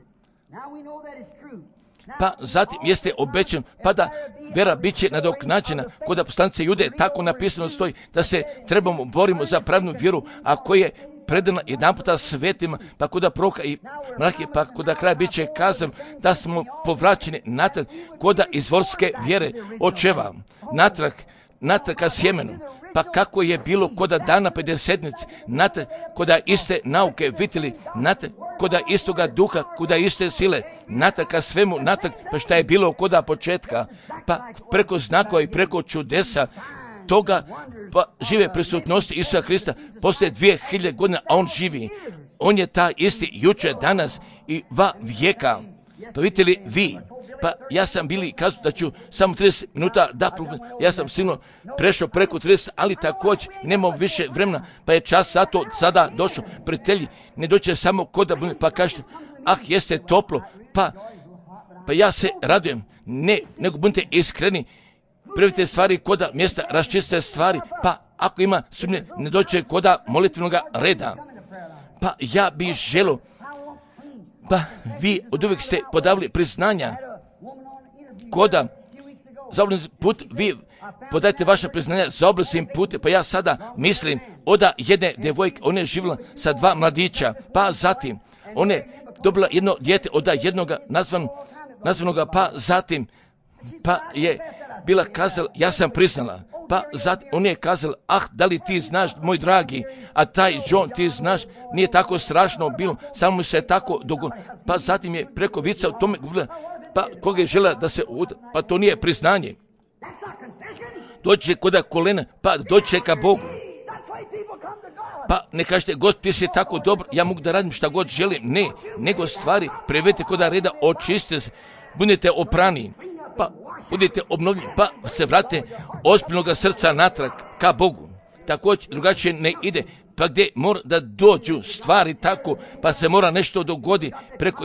Pa zatim jeste obećan, pa da vera bit će nadoknađena, kod poslanice Jude tako napisano stoji da se trebamo borimo za pravnu vjeru, a koja je predana jedan puta svetima, pa kod proroka i mlake, pa kod kraja bit će kazan da smo povraćeni natrag kod izvorske vjere očeva, natrag ka sjemenu. Pa kako je bilo kod dana pedesetnice, natrag kod iste nauke vidjeli, natrag kod istoga duha, kod iste sile, natrag ka svemu, natrag pa šta je bilo kod početka, pa preko znakova i preko čudesa toga, pa žive prisutnosti Isusa Hrista poslije 2000 godina, a on živi. On je ta isti jučer, danas i va vijeka. Pa vidite li vi, pa ja sam bili kazao da ću samo 30 minuta ja sam sigurno prešao preko 30, ali također nemam više vremena, pa je čas zato sada došao. Prijatelji, ne doće samo kod da bude, pa kažete, jeste toplo, pa ja se radujem, ne, nego budite iskreni, prvite stvari koda mjesta, raščiste stvari, pa ako ima sumnje, ne doće koda molitvenog reda. Pa ja bih želio, pa vi od uvijek ste podavili priznanja, koda za obrazim put, vi podajte vaša priznanja za obrazim put, pa ja sada mislim od jedne djevojke, ona je živjela sa 2 mladića, pa zatim ona je dobila jedno dijete od jednoga nazvanoga, pa zatim pa je bila kazala, ja sam priznala, pa zatim on je kazala, da li ti znaš, moj dragi, a taj John, ti znaš, nije tako strašno bilo, samo mi se tako dogodilo, pa zatim je preko vica o tome govorila, pa koga je žela da se pa to nije priznanje. Doći kod kolena, pa doći ka Bogu. Pa ne kažete, Gospod, ti si tako dobro, ja mogu da radim šta god želim. Ne, nego stvari prevedite kod reda, očistite se, budete oprani, pa budete obnovljeni, pa se vrate ozbiljnog srca natrag ka Bogu. Također drugačije ne ide, pa gdje mora da dođu stvari tako, pa se mora nešto dogodi preko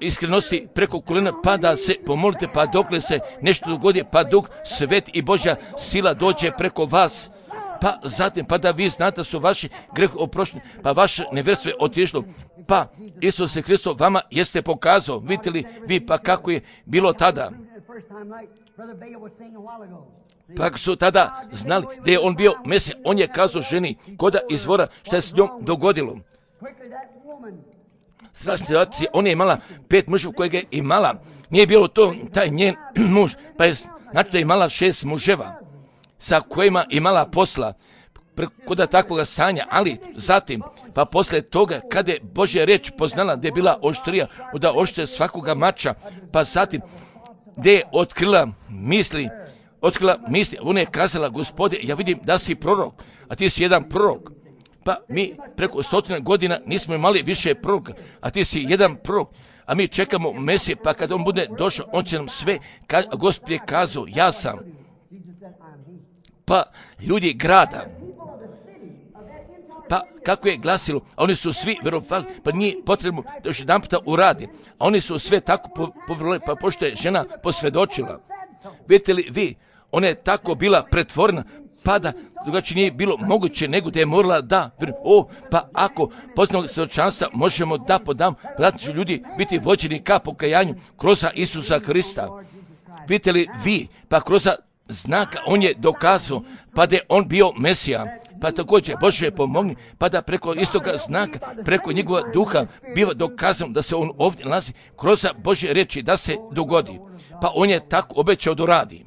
iskrenosti, preko kolena, pa da se pomolite, pa dokle se nešto dogodi, pa Duh Svet i Božja sila dođe preko vas, pa zatim, pa da vi znate da su vaši grehi oprošteni, pa vaše nevjerstvo je otišlo, pa Isus Hristos vama jeste pokazao, vidite li vi pa kako je bilo tada. Pa su tada znali da je on bio Mesija, on je kazao ženi koda izvora šta je s njom dogodilo. Strašna situacija, ona je imala 5 muževa kojeg je imala, nije bilo to taj njen muž, pa je znači da je imala 6 muževa sa kojima imala posla kod takvog stanja, ali zatim, pa posle toga, kada je Božja reč poznala da je bila oštrija, da oštre svakoga mača, pa zatim, gdje je otkrila misli, ona je kazala, Gospode, ja vidim da si prorok, a ti si jedan prorok. Pa mi preko 100 godina nismo imali više proroka, a ti si jedan prorok, a mi čekamo Mesije, pa kad on bude došao, on će nam sve, Gospod je kazao, ja sam. Pa ljudi grada, pa kako je glasilo, a oni su svi vjerovali, pa nije potrebno da još jedan puta uradi, a oni su sve tako povjerili, pa pošto je žena posvjedočila. Vidite li vi, ona je tako bila pretvorena, pa da drugačije nije bilo moguće nego da je morala da, pa ako poznamo svjedočanstva možemo da podam, da će ljudi biti vođeni ka pokajanju kroz Isusa Hrista. Vidite li vi, pa kroz znaka on je dokazao, pa da je on bio Mesija, pa također Bože pomogni, pa da preko istoga znaka, preko njegova duha biva dokazano da se on ovdje nalazi kroz Božje reči da se dogodi. Pa on je tako obećao da radi.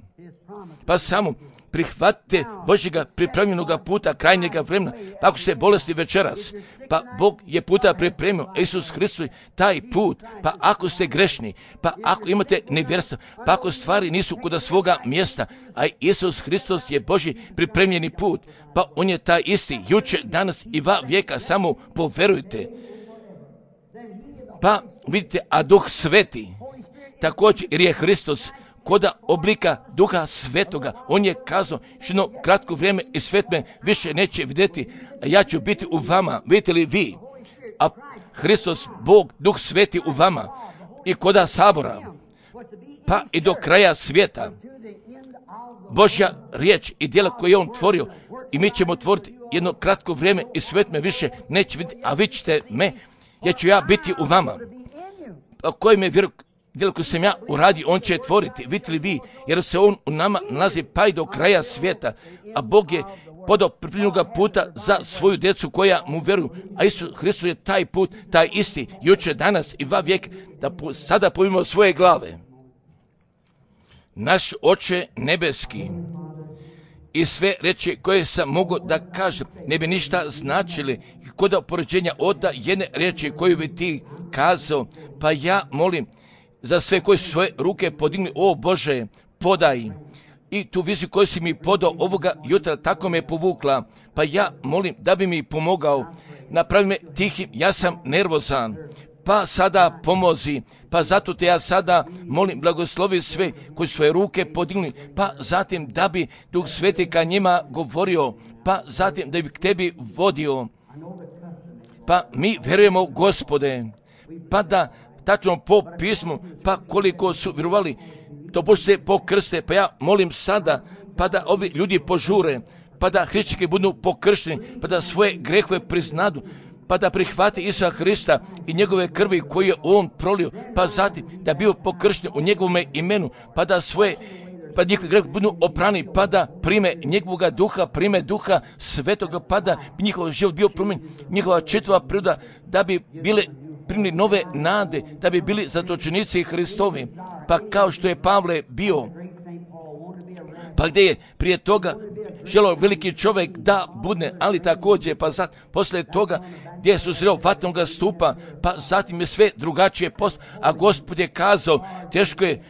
Pa samo prihvatite Božjega pripremljenoga puta krajnjega vremena, pa ako ste bolesni večeras, pa Bog je puta pripremio, Isus Hristos taj put, pa ako ste grešni, pa ako imate nevjerstvo, pa ako stvari nisu kod svoga mjesta, a Isus Hristos je Božji pripremljeni put, pa on je taj isti, jučer, danas i va vijeka, samo poverujte. Pa vidite, a Duh Sveti, također jer je Hristos koda oblika Duha Svetoga, on je kazao što kratko vrijeme i svet me više neće vidjeti, a ja ću biti u vama, vidite li vi, a Hristos, Bog, Duh Sveti u vama i koda sabora, pa i do kraja svijeta, Božja riječ i djela koje je on tvorio i mi ćemo tvoriti jedno kratko vrijeme i svet me više neće vidjeti, a vi ćete me, ja ću ja biti u vama, a koji me vjeruju, djelo koje sam ja uradio, on će tvoriti, vidite li vi, jer se on u nama nalazi pa i do kraja svijeta, a Bog je podao pripremljenog puta za svoju djecu koja mu vjeruju, a Isus Hristos je taj put, taj isti, jučer, danas i va vijek, da sada povimo svoje glave. Naš Oče nebeski, i sve reči koje sam mogao da kažem, ne bi ništa značili kod opoređenja od jedne riječi koju bi ti kazao, pa ja molim za sve koji su svoje ruke podigli, o Bože, podaj. I tu viziju koju si mi podao ovoga jutra, tako me povukla, pa ja molim da bi mi pomogao, napravi me tihim, ja sam nervozan, pa sada pomozi, pa zato te ja sada molim, blagoslovi sve koji su svoje ruke podigli, pa zatim da bi Duh Sveti ka njima govorio, pa zatim da bi k tebi vodio, pa mi vjerujemo, Gospode, pa da tačno po pismu, pa koliko su vjerovali, to Bože se pokrste, pa ja molim sada, pa da ovi ljudi požure, pa da hrišćani budu pokršteni, pa da svoje grehove priznadu, pa da prihvati Isusa Hrista i njegove krvi koje je on prolio, pa zatim da bio pokršten u njegovome imenu, pa da svoje, pa njihovi grehovi budu oprani, pa da prime njegovoga duha, prime Duha Svetoga, pa da bi njihov život bio promijenjen, njihova čitava priroda, da bi bile primili nove nade, da bi bili zatočenici Hristovi, pa kao što je Pavle bio, pa gdje je prije toga želio veliki čovjek da bude, ali također, pa poslije toga gdje su sreo vatnoga stupa, pa zatim je sve drugačije postao, a Gospod je kazao, teško je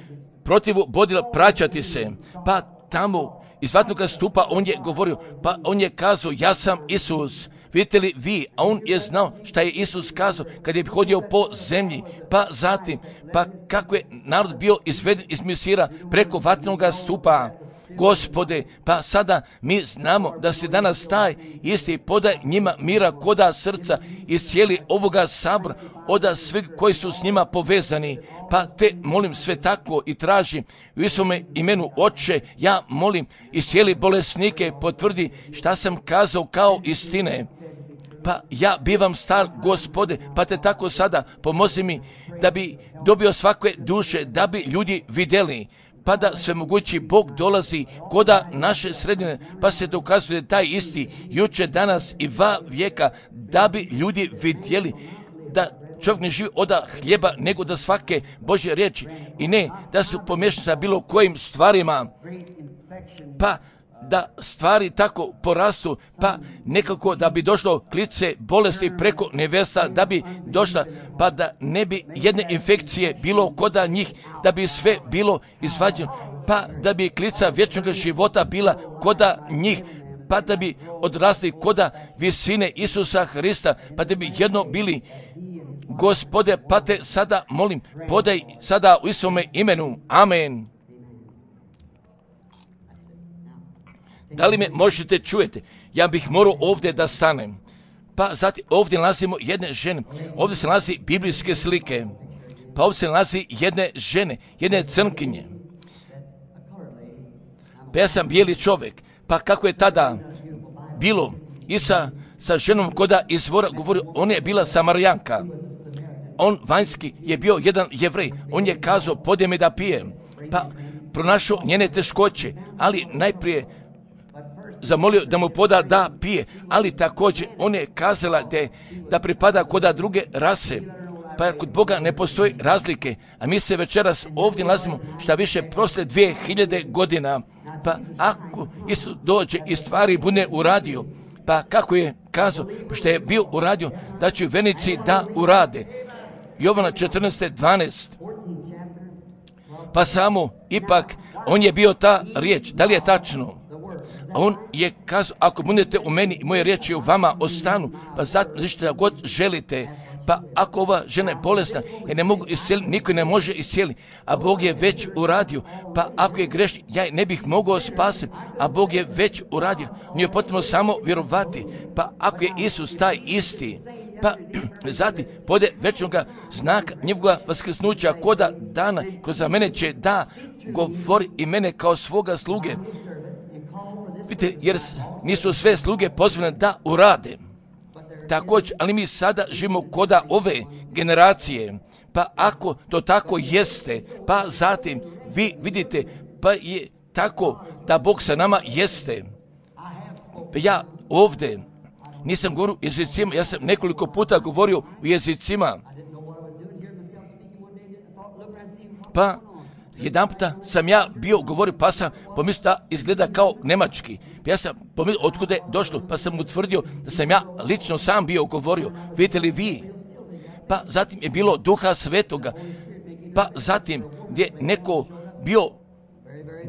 protivu bodila praćati se, pa tamo iz vatnoga stupa on je govorio, pa on je kazao, ja sam Isus, Vidite li vi, a on je znao šta je Isus kazao kad je hodio po zemlji, pa zatim, pa kako je narod bio izveden iz Misira preko vatrenog stupa. Gospode, pa sada mi znamo da se danas taj isti podaj njima mira koda srca i cijeli ovoga sabora, oda svih koji su s njima povezani. Pa te molim sve tako i tražim u svome imenu, Oče, ja molim i cijeli bolesnike potvrdi šta sam kazao kao istine. Pa ja bivam star, Gospode, pa te tako sada pomozi mi da bi dobio svake duše, da bi ljudi vidjeli, pa da svemogući Bog dolazi koda naše sredine, pa se dokazuje taj isti juče, danas i va vijeka, da bi ljudi vidjeli da čovjek ne živi od hljeba, nego da svake Božje riječi i ne da su pomiješani sa bilo kojim stvarima, pa da stvari tako porastu, pa nekako da bi došlo klice bolesti preko nevesta, da bi došla, pa da ne bi jedne infekcije bilo koda njih, da bi sve bilo izvađeno, pa da bi klica vječnog života bila koda njih, pa da bi odrasli koda visine Isusa Hrista, pa da bi jedno bili. Gospode, pa te sada molim, podaj sada u svome imenu. Amen. Da li me možete čujete? Ja bih morao ovdje da stanem. Pa zatim ovdje nalazimo jedne žene. Ovdje se nalazi biblijske slike. Pa ovdje se nalazi jedne žene, jedne crnkinje. Pa ja sam bijeli čovjek. Pa kako je tada bilo i sa ženom koda izvora govorio, ona je bila Samarijanka. On vanjski je bio jedan Jevrej. On je kazao, podje me da pijem. Pa pronašao njene teškoće, ali najprije zamolio da mu poda da pije, ali također on je kazala da pripada koda druge rase, pa kod Boga ne postoji razlike, a mi se večeras ovdje nalazimo šta više prosle 2000 godina, pa ako Isus dođe i stvari bude uradio, pa kako je kazao, što je bio uradio, da će venici da urade. Jovana 14:12. Pa samo, ipak, on je bio ta riječ, da li je tačno? A on je kazao, ako budete u meni i moje riječi u vama ostanu, pa zato što god želite, pa ako ova žena je bolesna, ja ne mogu iscijeliti, niko ne može iscijeliti, a Bog je već uradio, pa ako je grešni, ja ne bih mogao spasiti, a Bog je već uradio, on je potrebno samo vjerovati, pa ako je Isus taj isti, pa zatim pode večnoga znaka njegovoga vaskrsnuća koda dana, kroz za mene će da govori i mene kao svoga sluge. Vidite, jer nisu sve sluge pozvane da urade. Također, ali mi sada živimo koda ove generacije, pa ako to tako jeste, pa zatim vi vidite, pa je tako da Bog sa nama jeste. Pa ja ovdje nisam govorio u jezicima, ja sam nekoliko puta govorio u jezicima. Pa jedan puta sam ja bio govorio, pa sam pomislio da izgleda kao nemački. Pa ja sam pomislio otkuda je došlo, pa sam utvrdio da sam ja lično sam bio govorio. Vidite li vi? Pa zatim je bilo Duha Svetoga. Pa zatim gdje neko bio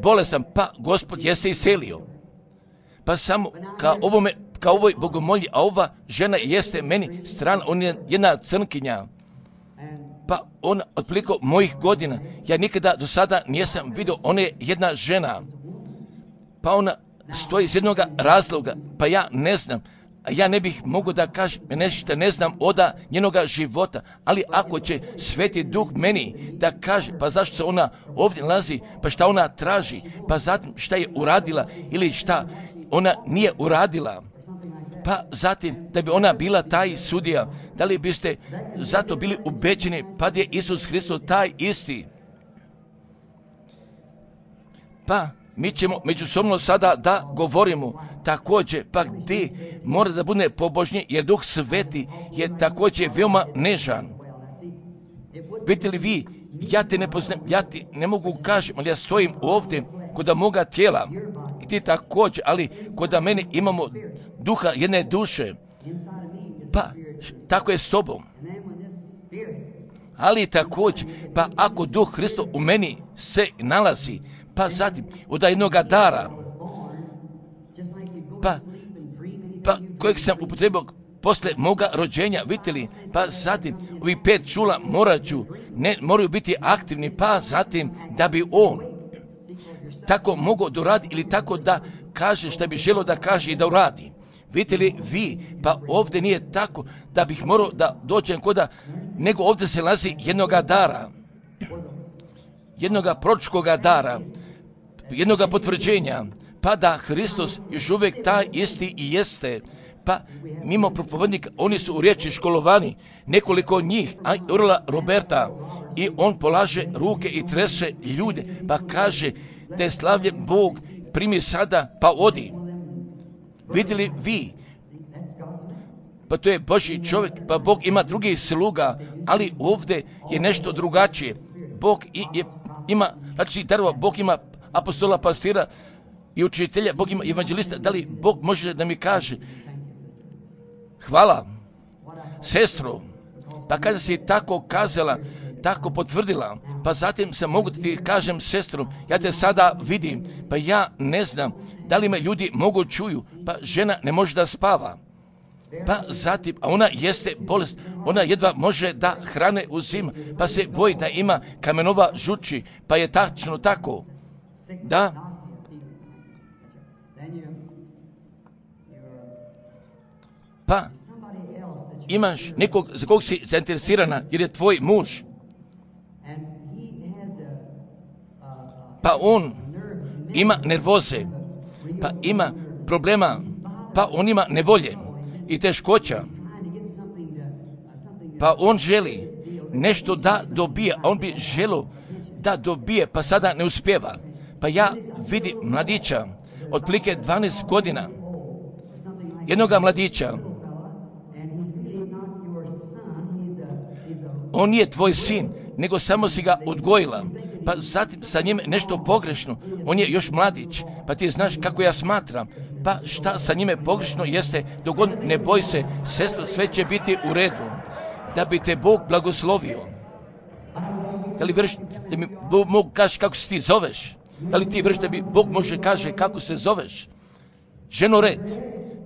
bolestan, pa Gospod je se iselio. Pa samo kao ovoj bogomolji, a ova žena jeste meni strana, on je jedna crnkinja. Pa ona otprilike mojih godina, ja nikada do sada nisam vidio, ona je jedna žena. Pa ona stoji iz jednog razloga, pa ja ne znam, a ja ne bih mogao da kažem, nešto ne znam oda njenoga života, ali ako će Sveti Duh meni da kaže, pa zašto se ona ovdje nalazi, pa šta ona traži, pa zatim šta je uradila ili šta ona nije uradila. Pa zatim, da bi ona bila taj sudija, da li biste zato bili ubeđeni, pa je Isus Hristos taj isti? Pa mi ćemo međusobno sada da govorimo također, pa gdje mora da bude pobožniji, jer Duh Sveti je također veoma nežan. Vidite li vi, ja te ne poznam, ja ti ne mogu kažem, ali ja stojim ovdje kod moga tijela, i ti također, ali kod mene imamo duha jedne duše, pa tako je s tobom. Ali također, pa ako Duh Hristov u meni se nalazi, pa zatim od jednoga dara, pa pa kojeg sam upotrebio posle moga rođenja, vidite li, pa zatim ovi 5 čula moraju biti aktivni, pa zatim da bi on tako mogao da uradi ili tako da kaže šta bi želio da kaže i da uradi. Vidite li vi, pa ovdje nije tako da bih morao da dođem koda, nego ovdje se nalazi jednoga dara, jednoga proročkoga dara, jednoga potvrđenja, pa da Hristos još uvijek taj isti i jeste. Pa mimo propovednika, oni su u riječi školovani, nekoliko njih, a Urla Roberta, i on polaže ruke i trese ljude, pa kaže da je slavljen Bog, primi sada, pa odi. Vidjeli vi, pa to je Božji čovjek, pa Bog ima drugih sluga, ali ovdje je nešto drugačije. Bog ima, znači darova, Bog ima apostola, pastira i učitelja, Bog ima evanđelista. Da li Bog može da mi kaže, hvala, sestro, pa kada si tako kazala, tako potvrdila, pa zatim sam mogu da ti kažem, sestro, ja te sada vidim, pa ja ne znam da li me ljudi mogu čuju, pa žena ne može da spava, pa zatim, a ona jeste bolest, ona jedva može da hrane uzima, pa se boji da ima kamenova žuči, pa je tačno tako, da. Pa imaš nekog za kog si zainteresirana jer je tvoj muž, pa on ima nervoze, pa ima problema, pa on ima nevolje i teškoća, pa on želi nešto da dobije, a on bi želio da dobije, pa sada ne uspijeva. Pa ja vidim mladića, otprilike 12 godina, jednoga mladića, on nije tvoj sin, nego samo si ga odgojila, pa zatim sa njim nešto pogrešno, on je još mladić, pa ti znaš kako ja smatram, pa šta sa njime pogrešno jeste, dok on ne boj se, sestro, sve će biti u redu, da bi te Bog blagoslovio. Da li vjeriš da mi Bog mogu kaži kako se ti zoveš? Da li ti vjeriš da bi Bog može kaže kako se zoveš? Ženo red,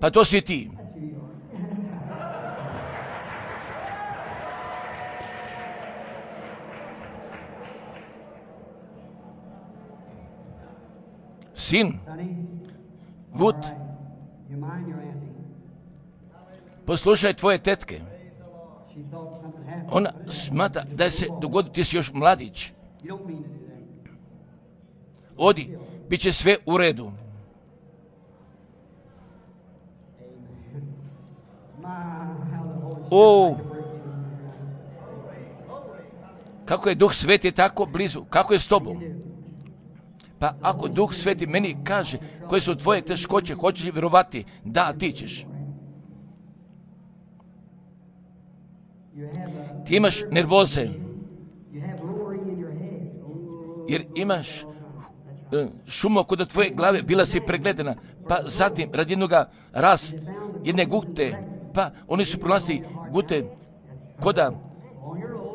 pa to si ti. Sin, Vud, poslušaj tvoje tetke. Ona smatra da se dogodi, ti si još mladić. Odi, bit će sve u redu. O, kako je Duh Sveti tako blizu, kako je s tobom? Pa ako Duh Sveti meni kaže koje su tvoje teškoće, hoćeš li vjerovati? Da, ti ćeš. Ti imaš nervoze, jer imaš šumu kod tvoje glave, bila si pregledana, pa zatim radi jednoga rast, jedne gute, pa oni su pronalazili gute koda,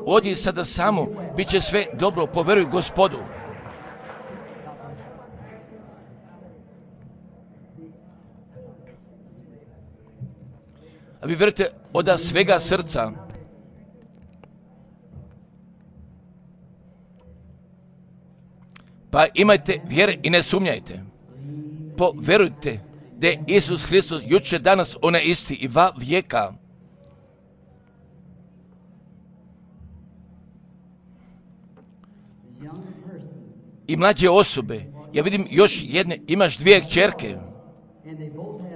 odi sada samo, bit će sve dobro, poveruj Gospodu. A vi vjerujete od svega srca. Pa imajte vjere i ne sumnjajte. Poverujte da je Isus Hristos jučer, danas, onaj isti i va vijeka. I mlađe osobe, ja vidim još jedne, imaš 2 kćerke,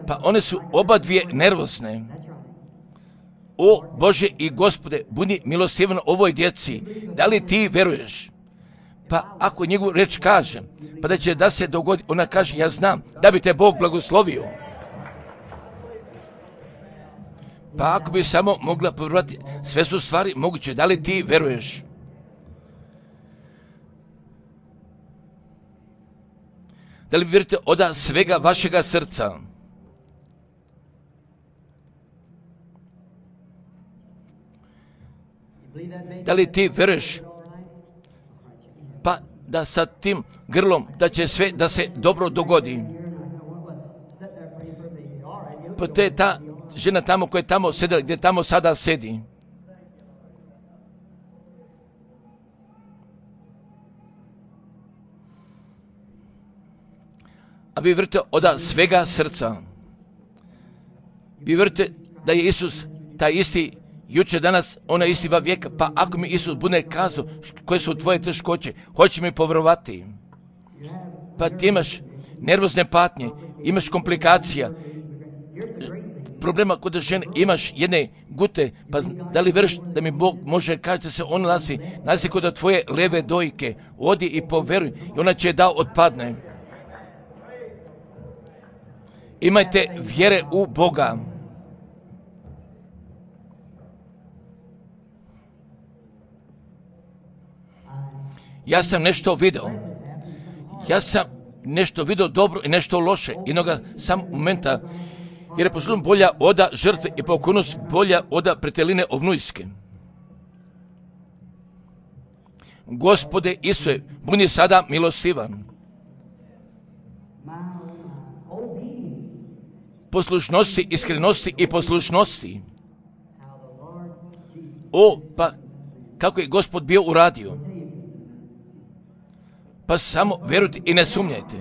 pa one su oba 2 nervozne. O Bože i Gospode, budi milostivan ovoj djeci, da li ti veruješ? Pa ako njegov reč kaže, pa da će da se dogodi, ona kaže, ja znam da bi te Bog blagoslovio. Pa ako bi samo mogla povjerovati, sve su stvari moguće, da li ti veruješ? Da li vjerujete od svega vašega srca? Da li ti veruješ? Pa da sa tim grlom da će sve da se dobro dogodi. Pa to je ta žena tamo koja je tamo sedela, gdje tamo sada sedi. A vi vjerujete od svega srca. Vi vjerujete da je Isus taj isti jučer, danas, onaj isti va vijeka. Pa ako mi Isus bude kazao koje su tvoje teškoće, hoće mi povjerovati. Pa ti imaš nervozne patnje, imaš komplikacija, problema kod žene, imaš jedne gute, pa da li vjeruješ da mi Bog može kazati se on nasi kod tvoje leve dojke, odi i povjeruj i ona će da otpadne. Imajte vjere u Boga. Ja sam nešto vidio. Ja sam nešto vidio dobro i nešto loše. Jednoga sam momenta, jer je poslušno bolja oda žrtve i pokornost bolja oda preteline ovnujske. Gospode Isuse, budi sada milostivan. Poslušnosti, iskrenosti i poslušnosti. Pa kako je Gospod bio uradio. Pa samo vjerujte i ne sumnjajte.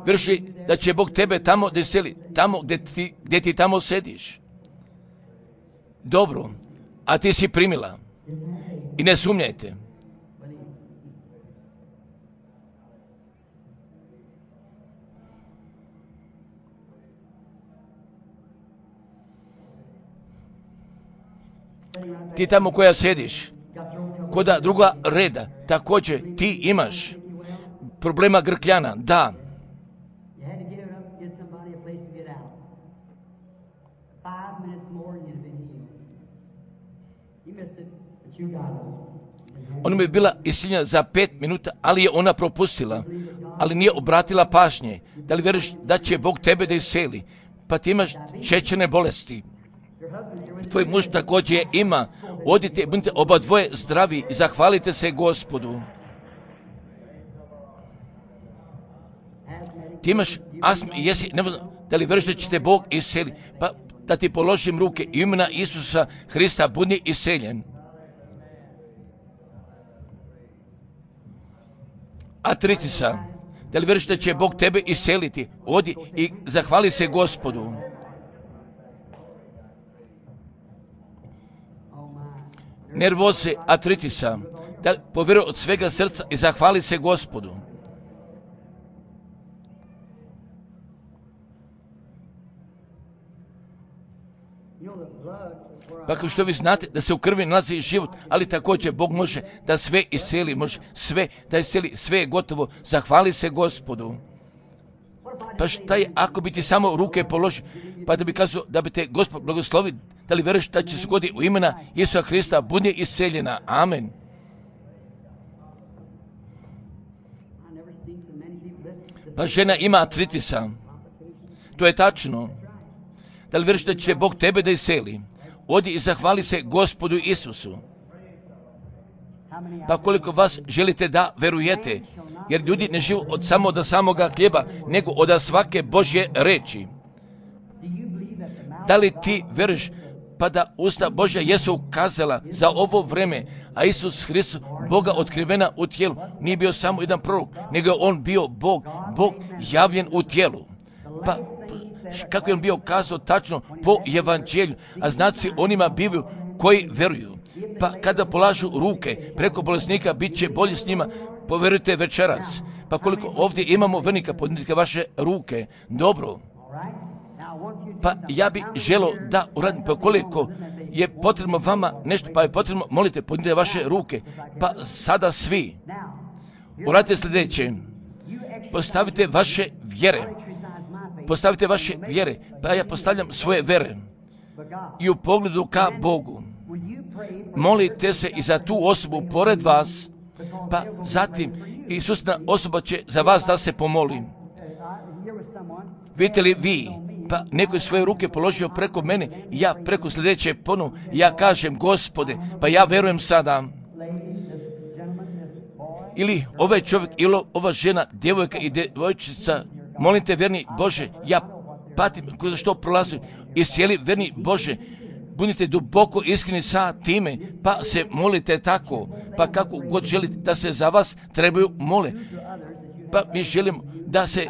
Vjeruješ li da će Bog tebe tamo gdje seli, tamo gdje ti tamo sediš? Dobro, a ti si primila. I ne sumnjajte. Ti tamo koja sediš, koda druga reda, također ti imaš problema grkljana, da. Ona bi bila iscijeljena za 5 minuta, ali je ona propustila, ali nije obratila pažnje. Da li vjeruješ da će Bog tebe da isceli? Pa ti imaš šećerne bolesti. Tvoj muž također ima. Odite, budite oba dvoje zdravi i zahvalite se Gospodu. Ti imaš astmu i jesi, da li vjeruješ da će te Bog isceli? Pa da ti položim ruke i imena Isusa Hrista, budi isceljen. Artritisa, da li vjeruješ da će Bog tebe isceliti? Odi i zahvali se Gospodu. Nervoze, artritisa, da povjeruj od svega srca i zahvali se Gospodu. Pa kao što vi znate da se u krvi nalazi život, ali također Bog može da sve isceli, može sve da isceli, sve je gotovo, zahvali se Gospodu. Pa šta je ako bi ti samo ruke položio, pa da bi kazao da bi te Gospod blagoslovi, da li vjeruješ da će se goditi u imena Isusa Hrista, budi isceljena. Amen. Pa žena ima artritisa. To je tačno. Da li vjeruješ da će Bog tebe da isceli? Odi i zahvali se Gospodu Isusu. Pa koliko vas želite da verujete, jer ljudi ne žive od samoga hljeba, nego od svake Božje reči. Da li ti veruješ pa da usta Božja jesu ukazala za ovo vreme, a Isus Hristos, Boga otkrivena u tijelu, nije bio samo jedan prorok, nego on bio Bog javljen u tijelu. Pa kako je on bio kazao tačno po evanđelju, a znaci onima bivaju koji veruju. Pa kada polažu ruke preko bolesnika, bit će bolje s njima, povjerujte večeras. Pa koliko ovdje imamo vernika, podignite vaše ruke. Dobro. Pa ja bih želio da uradim, pa koliko je potrebno vama nešto, pa je potrebno, molite, podignite vaše ruke. Pa sada svi. Uradite sljedeće. Postavite vaše vjere. Postavite vaše vjere. Pa ja postavljam svoje vjere. I u pogledu ka Bogu. Molite se i za tu osobu pored vas, pa zatim Isusna osoba će za vas da se pomoli. Vidite li vi, pa neko je svoje ruke položio preko mene i ja preko sljedeće ponovo, ja kažem Gospode, pa ja verujem sada. Ili ovaj čovjek, ili ova žena, djevojka i djevojčica, molim te, verni Bože, ja patim kroz što prolazim, iscijeli, verni Bože, budite duboko iskreni sa time, pa se molite tako, pa kako god želite da se za vas trebaju mole. Pa mi želimo da se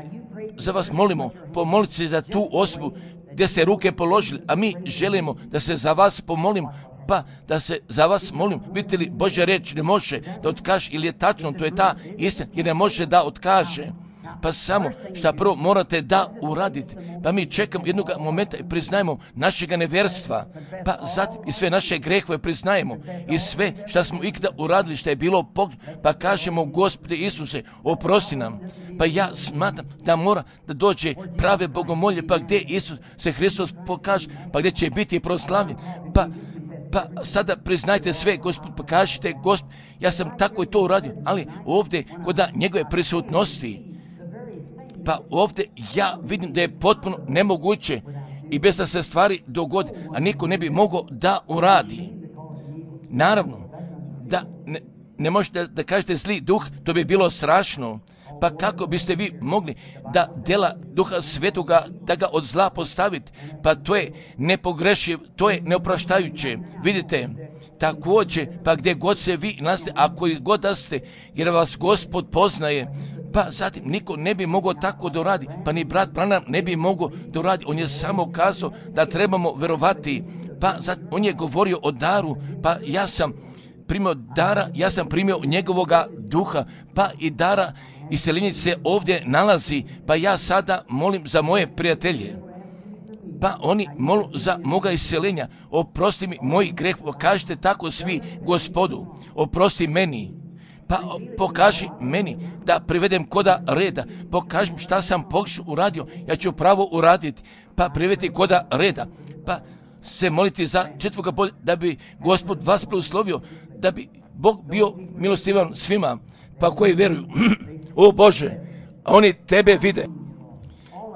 za vas molimo, pomolite se za tu osobu gdje se ruke položili, a mi želimo da se za vas pomolimo, pa da se za vas molim. Vidite li, Božja reč ne može da otkaže, ili je tačno, to je ta istina, jer ne može da otkaže. Pa samo šta prvo morate da uradite. Pa mi čekamo jednog momenta i priznajemo našega nevjerstva. Pa zatim i sve naše grehove priznajemo. I sve šta smo ikada uradili, šta je bilo pa kažemo, Gospode Isuse, oprosti nam. Pa ja smatram da mora da dođe prave bogomolje, pa gdje Isus se Hristos pokaže, pa gdje će biti proslavljen. Pa sada priznajte sve, Gospod, pa kažite, Gospod, ja sam tako i to uradio, ali ovdje kod njegove prisutnosti, pa ovdje ja vidim da je potpuno nemoguće i bez da se stvari dogodi, a niko ne bi mogao da uradi. Naravno, da ne možete da kažete zli duh, to bi bilo strašno. Pa kako biste vi mogli da djela Duha Svetoga, da ga od zla postavite? Pa to je nepogrešiv, to je neopraštajuće. Vidite, također, pa gdje god se vi nalazite, ako i god da ste, jer vas Gospod poznaje, pa zatim niko ne bi mogao tako da uradi, pa ni brat Branham ne bi mogao da uradi. On je samo kazao da trebamo verovati, pa zatim on je govorio o daru, pa ja sam primio dara, ja sam primio njegovoga duha, pa i dara iseljenje se ovdje nalazi, pa ja sada molim za moje prijatelje. Pa oni molu za moga iseljenja, oprosti mi moj greh, kažite tako svi, Gospodu, oprosti meni. Pa pokaži meni da privedem koda reda, pokaži mi šta sam pogrešno uradio, ja ću pravo uraditi, pa privediti koda reda, pa se moliti za četvrga bolja, da bi Gospod vas blagoslovio, da bi Bog bio milostivan svima, pa koji vjeruju. O Bože, oni tebe vide.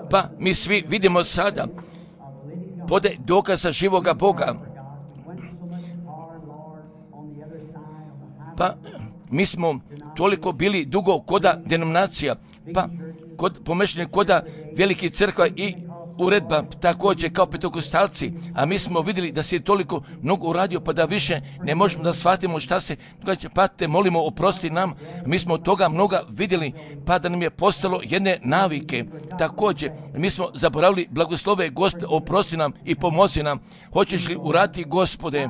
Pa mi svi vidimo sada pode dokaza živoga Boga. Pa mi smo toliko bili dugo koda denominacija, pa pomešanje koda velikih crkva i uredba također kao pentekostalci, a mi smo vidjeli da se toliko mnogo uradio, pa da više ne možemo da shvatimo šta se događa, pa te molimo, oprosti nam. Mi smo toga mnoga vidjeli, pa da nam je postalo jedne navike. Također, mi smo zaboravili blagoslove, Gospode, oprosti nam i pomozi nam. Hoćeš li uraditi, Gospode?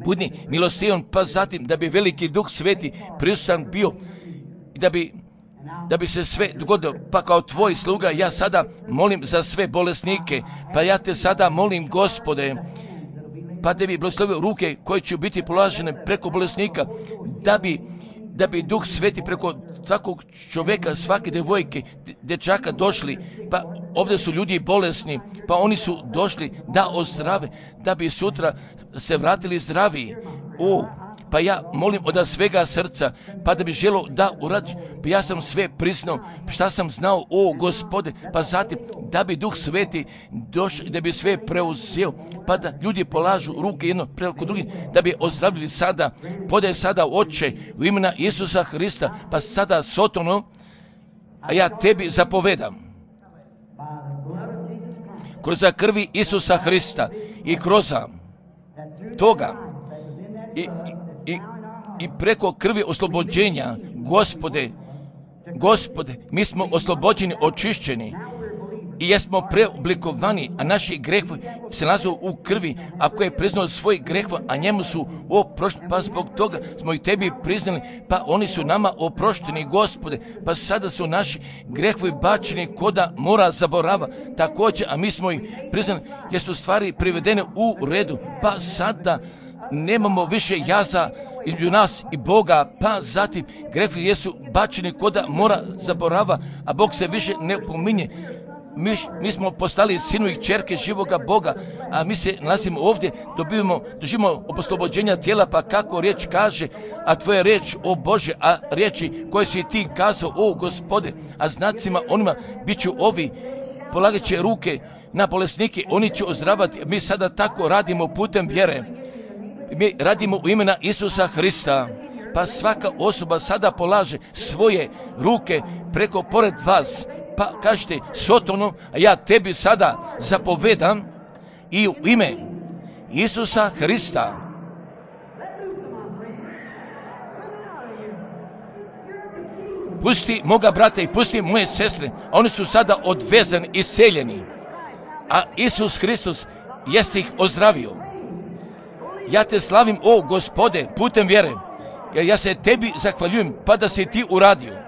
Budi milostivan, pa zatim da bi veliki Duh Sveti prisutan bio i da bi se sve dogodilo, pa kao tvoj sluga ja sada molim za sve bolesnike, pa ja te sada molim, Gospode, pa da bi blagoslovio ruke koje će biti položene preko bolesnika, da bi Duh Sveti preko takvog čovjeka, svake devojke, dječaka došli, pa ovdje su ljudi bolesni, pa oni su došli da ozdrave, da bi sutra se vratili zdraviji. Pa ja molim od svega srca, pa da bi želio da uradi, pa ja sam sve priznao, šta sam znao, Gospode, pa zatim da bi Duh Sveti došao i da bi sve preuzeo, pa da ljudi polažu ruke jedno preko drugih, da bi ozdravili sada, podaj sada, Oče, u imena Isusa Hrista, pa sada Sotono, a ja tebi zapovedam. Kroz krvi Isusa Hrista i kroz toga i preko krvi oslobođenja, Gospode, mi smo oslobođeni, očišćeni i jesmo preoblikovani, a naši grehovi se nalaze u krvi, ako je priznao svoj grehova, a njemu su oprošteni, pa zbog toga smo i tebi priznali, pa oni su nama oprošteni, Gospode, pa sada su naši grehovi bačeni koda mora zaborava, također, a mi smo ih priznali, jer su stvari privedene u redu, pa sada nemamo više jaza između nas i Boga, pa zatim grehovi jesu bačeni koda mora zaborava, a Bog se više ne pominje. Mi smo postali sinovi i kćerke živoga Boga, a mi se nalazimo ovdje, doživimo oslobođenja tijela, pa kako riječ kaže, a tvoja riječ, o Bože, a riječi koje si ti kazao, o Gospode, a znacima onima bit ću ovi, polagat će ruke na bolesnike, oni će ozdravati. Mi sada tako radimo putem vjere. Mi radimo u imena Isusa Hrista, pa svaka osoba sada polaže svoje ruke preko pored vas, Pa kažete, Sotonu, a ja tebi sada zapovedam i u ime Isusa Hrista. Pusti moga brata i pusti moje sestre, oni su sada odvezani, isceljeni, a Isus Hristos jeste ih ozdravio. Ja te slavim, o Gospode, putem vjere, jer ja se tebi zahvaljujem, pa da si ti uradio.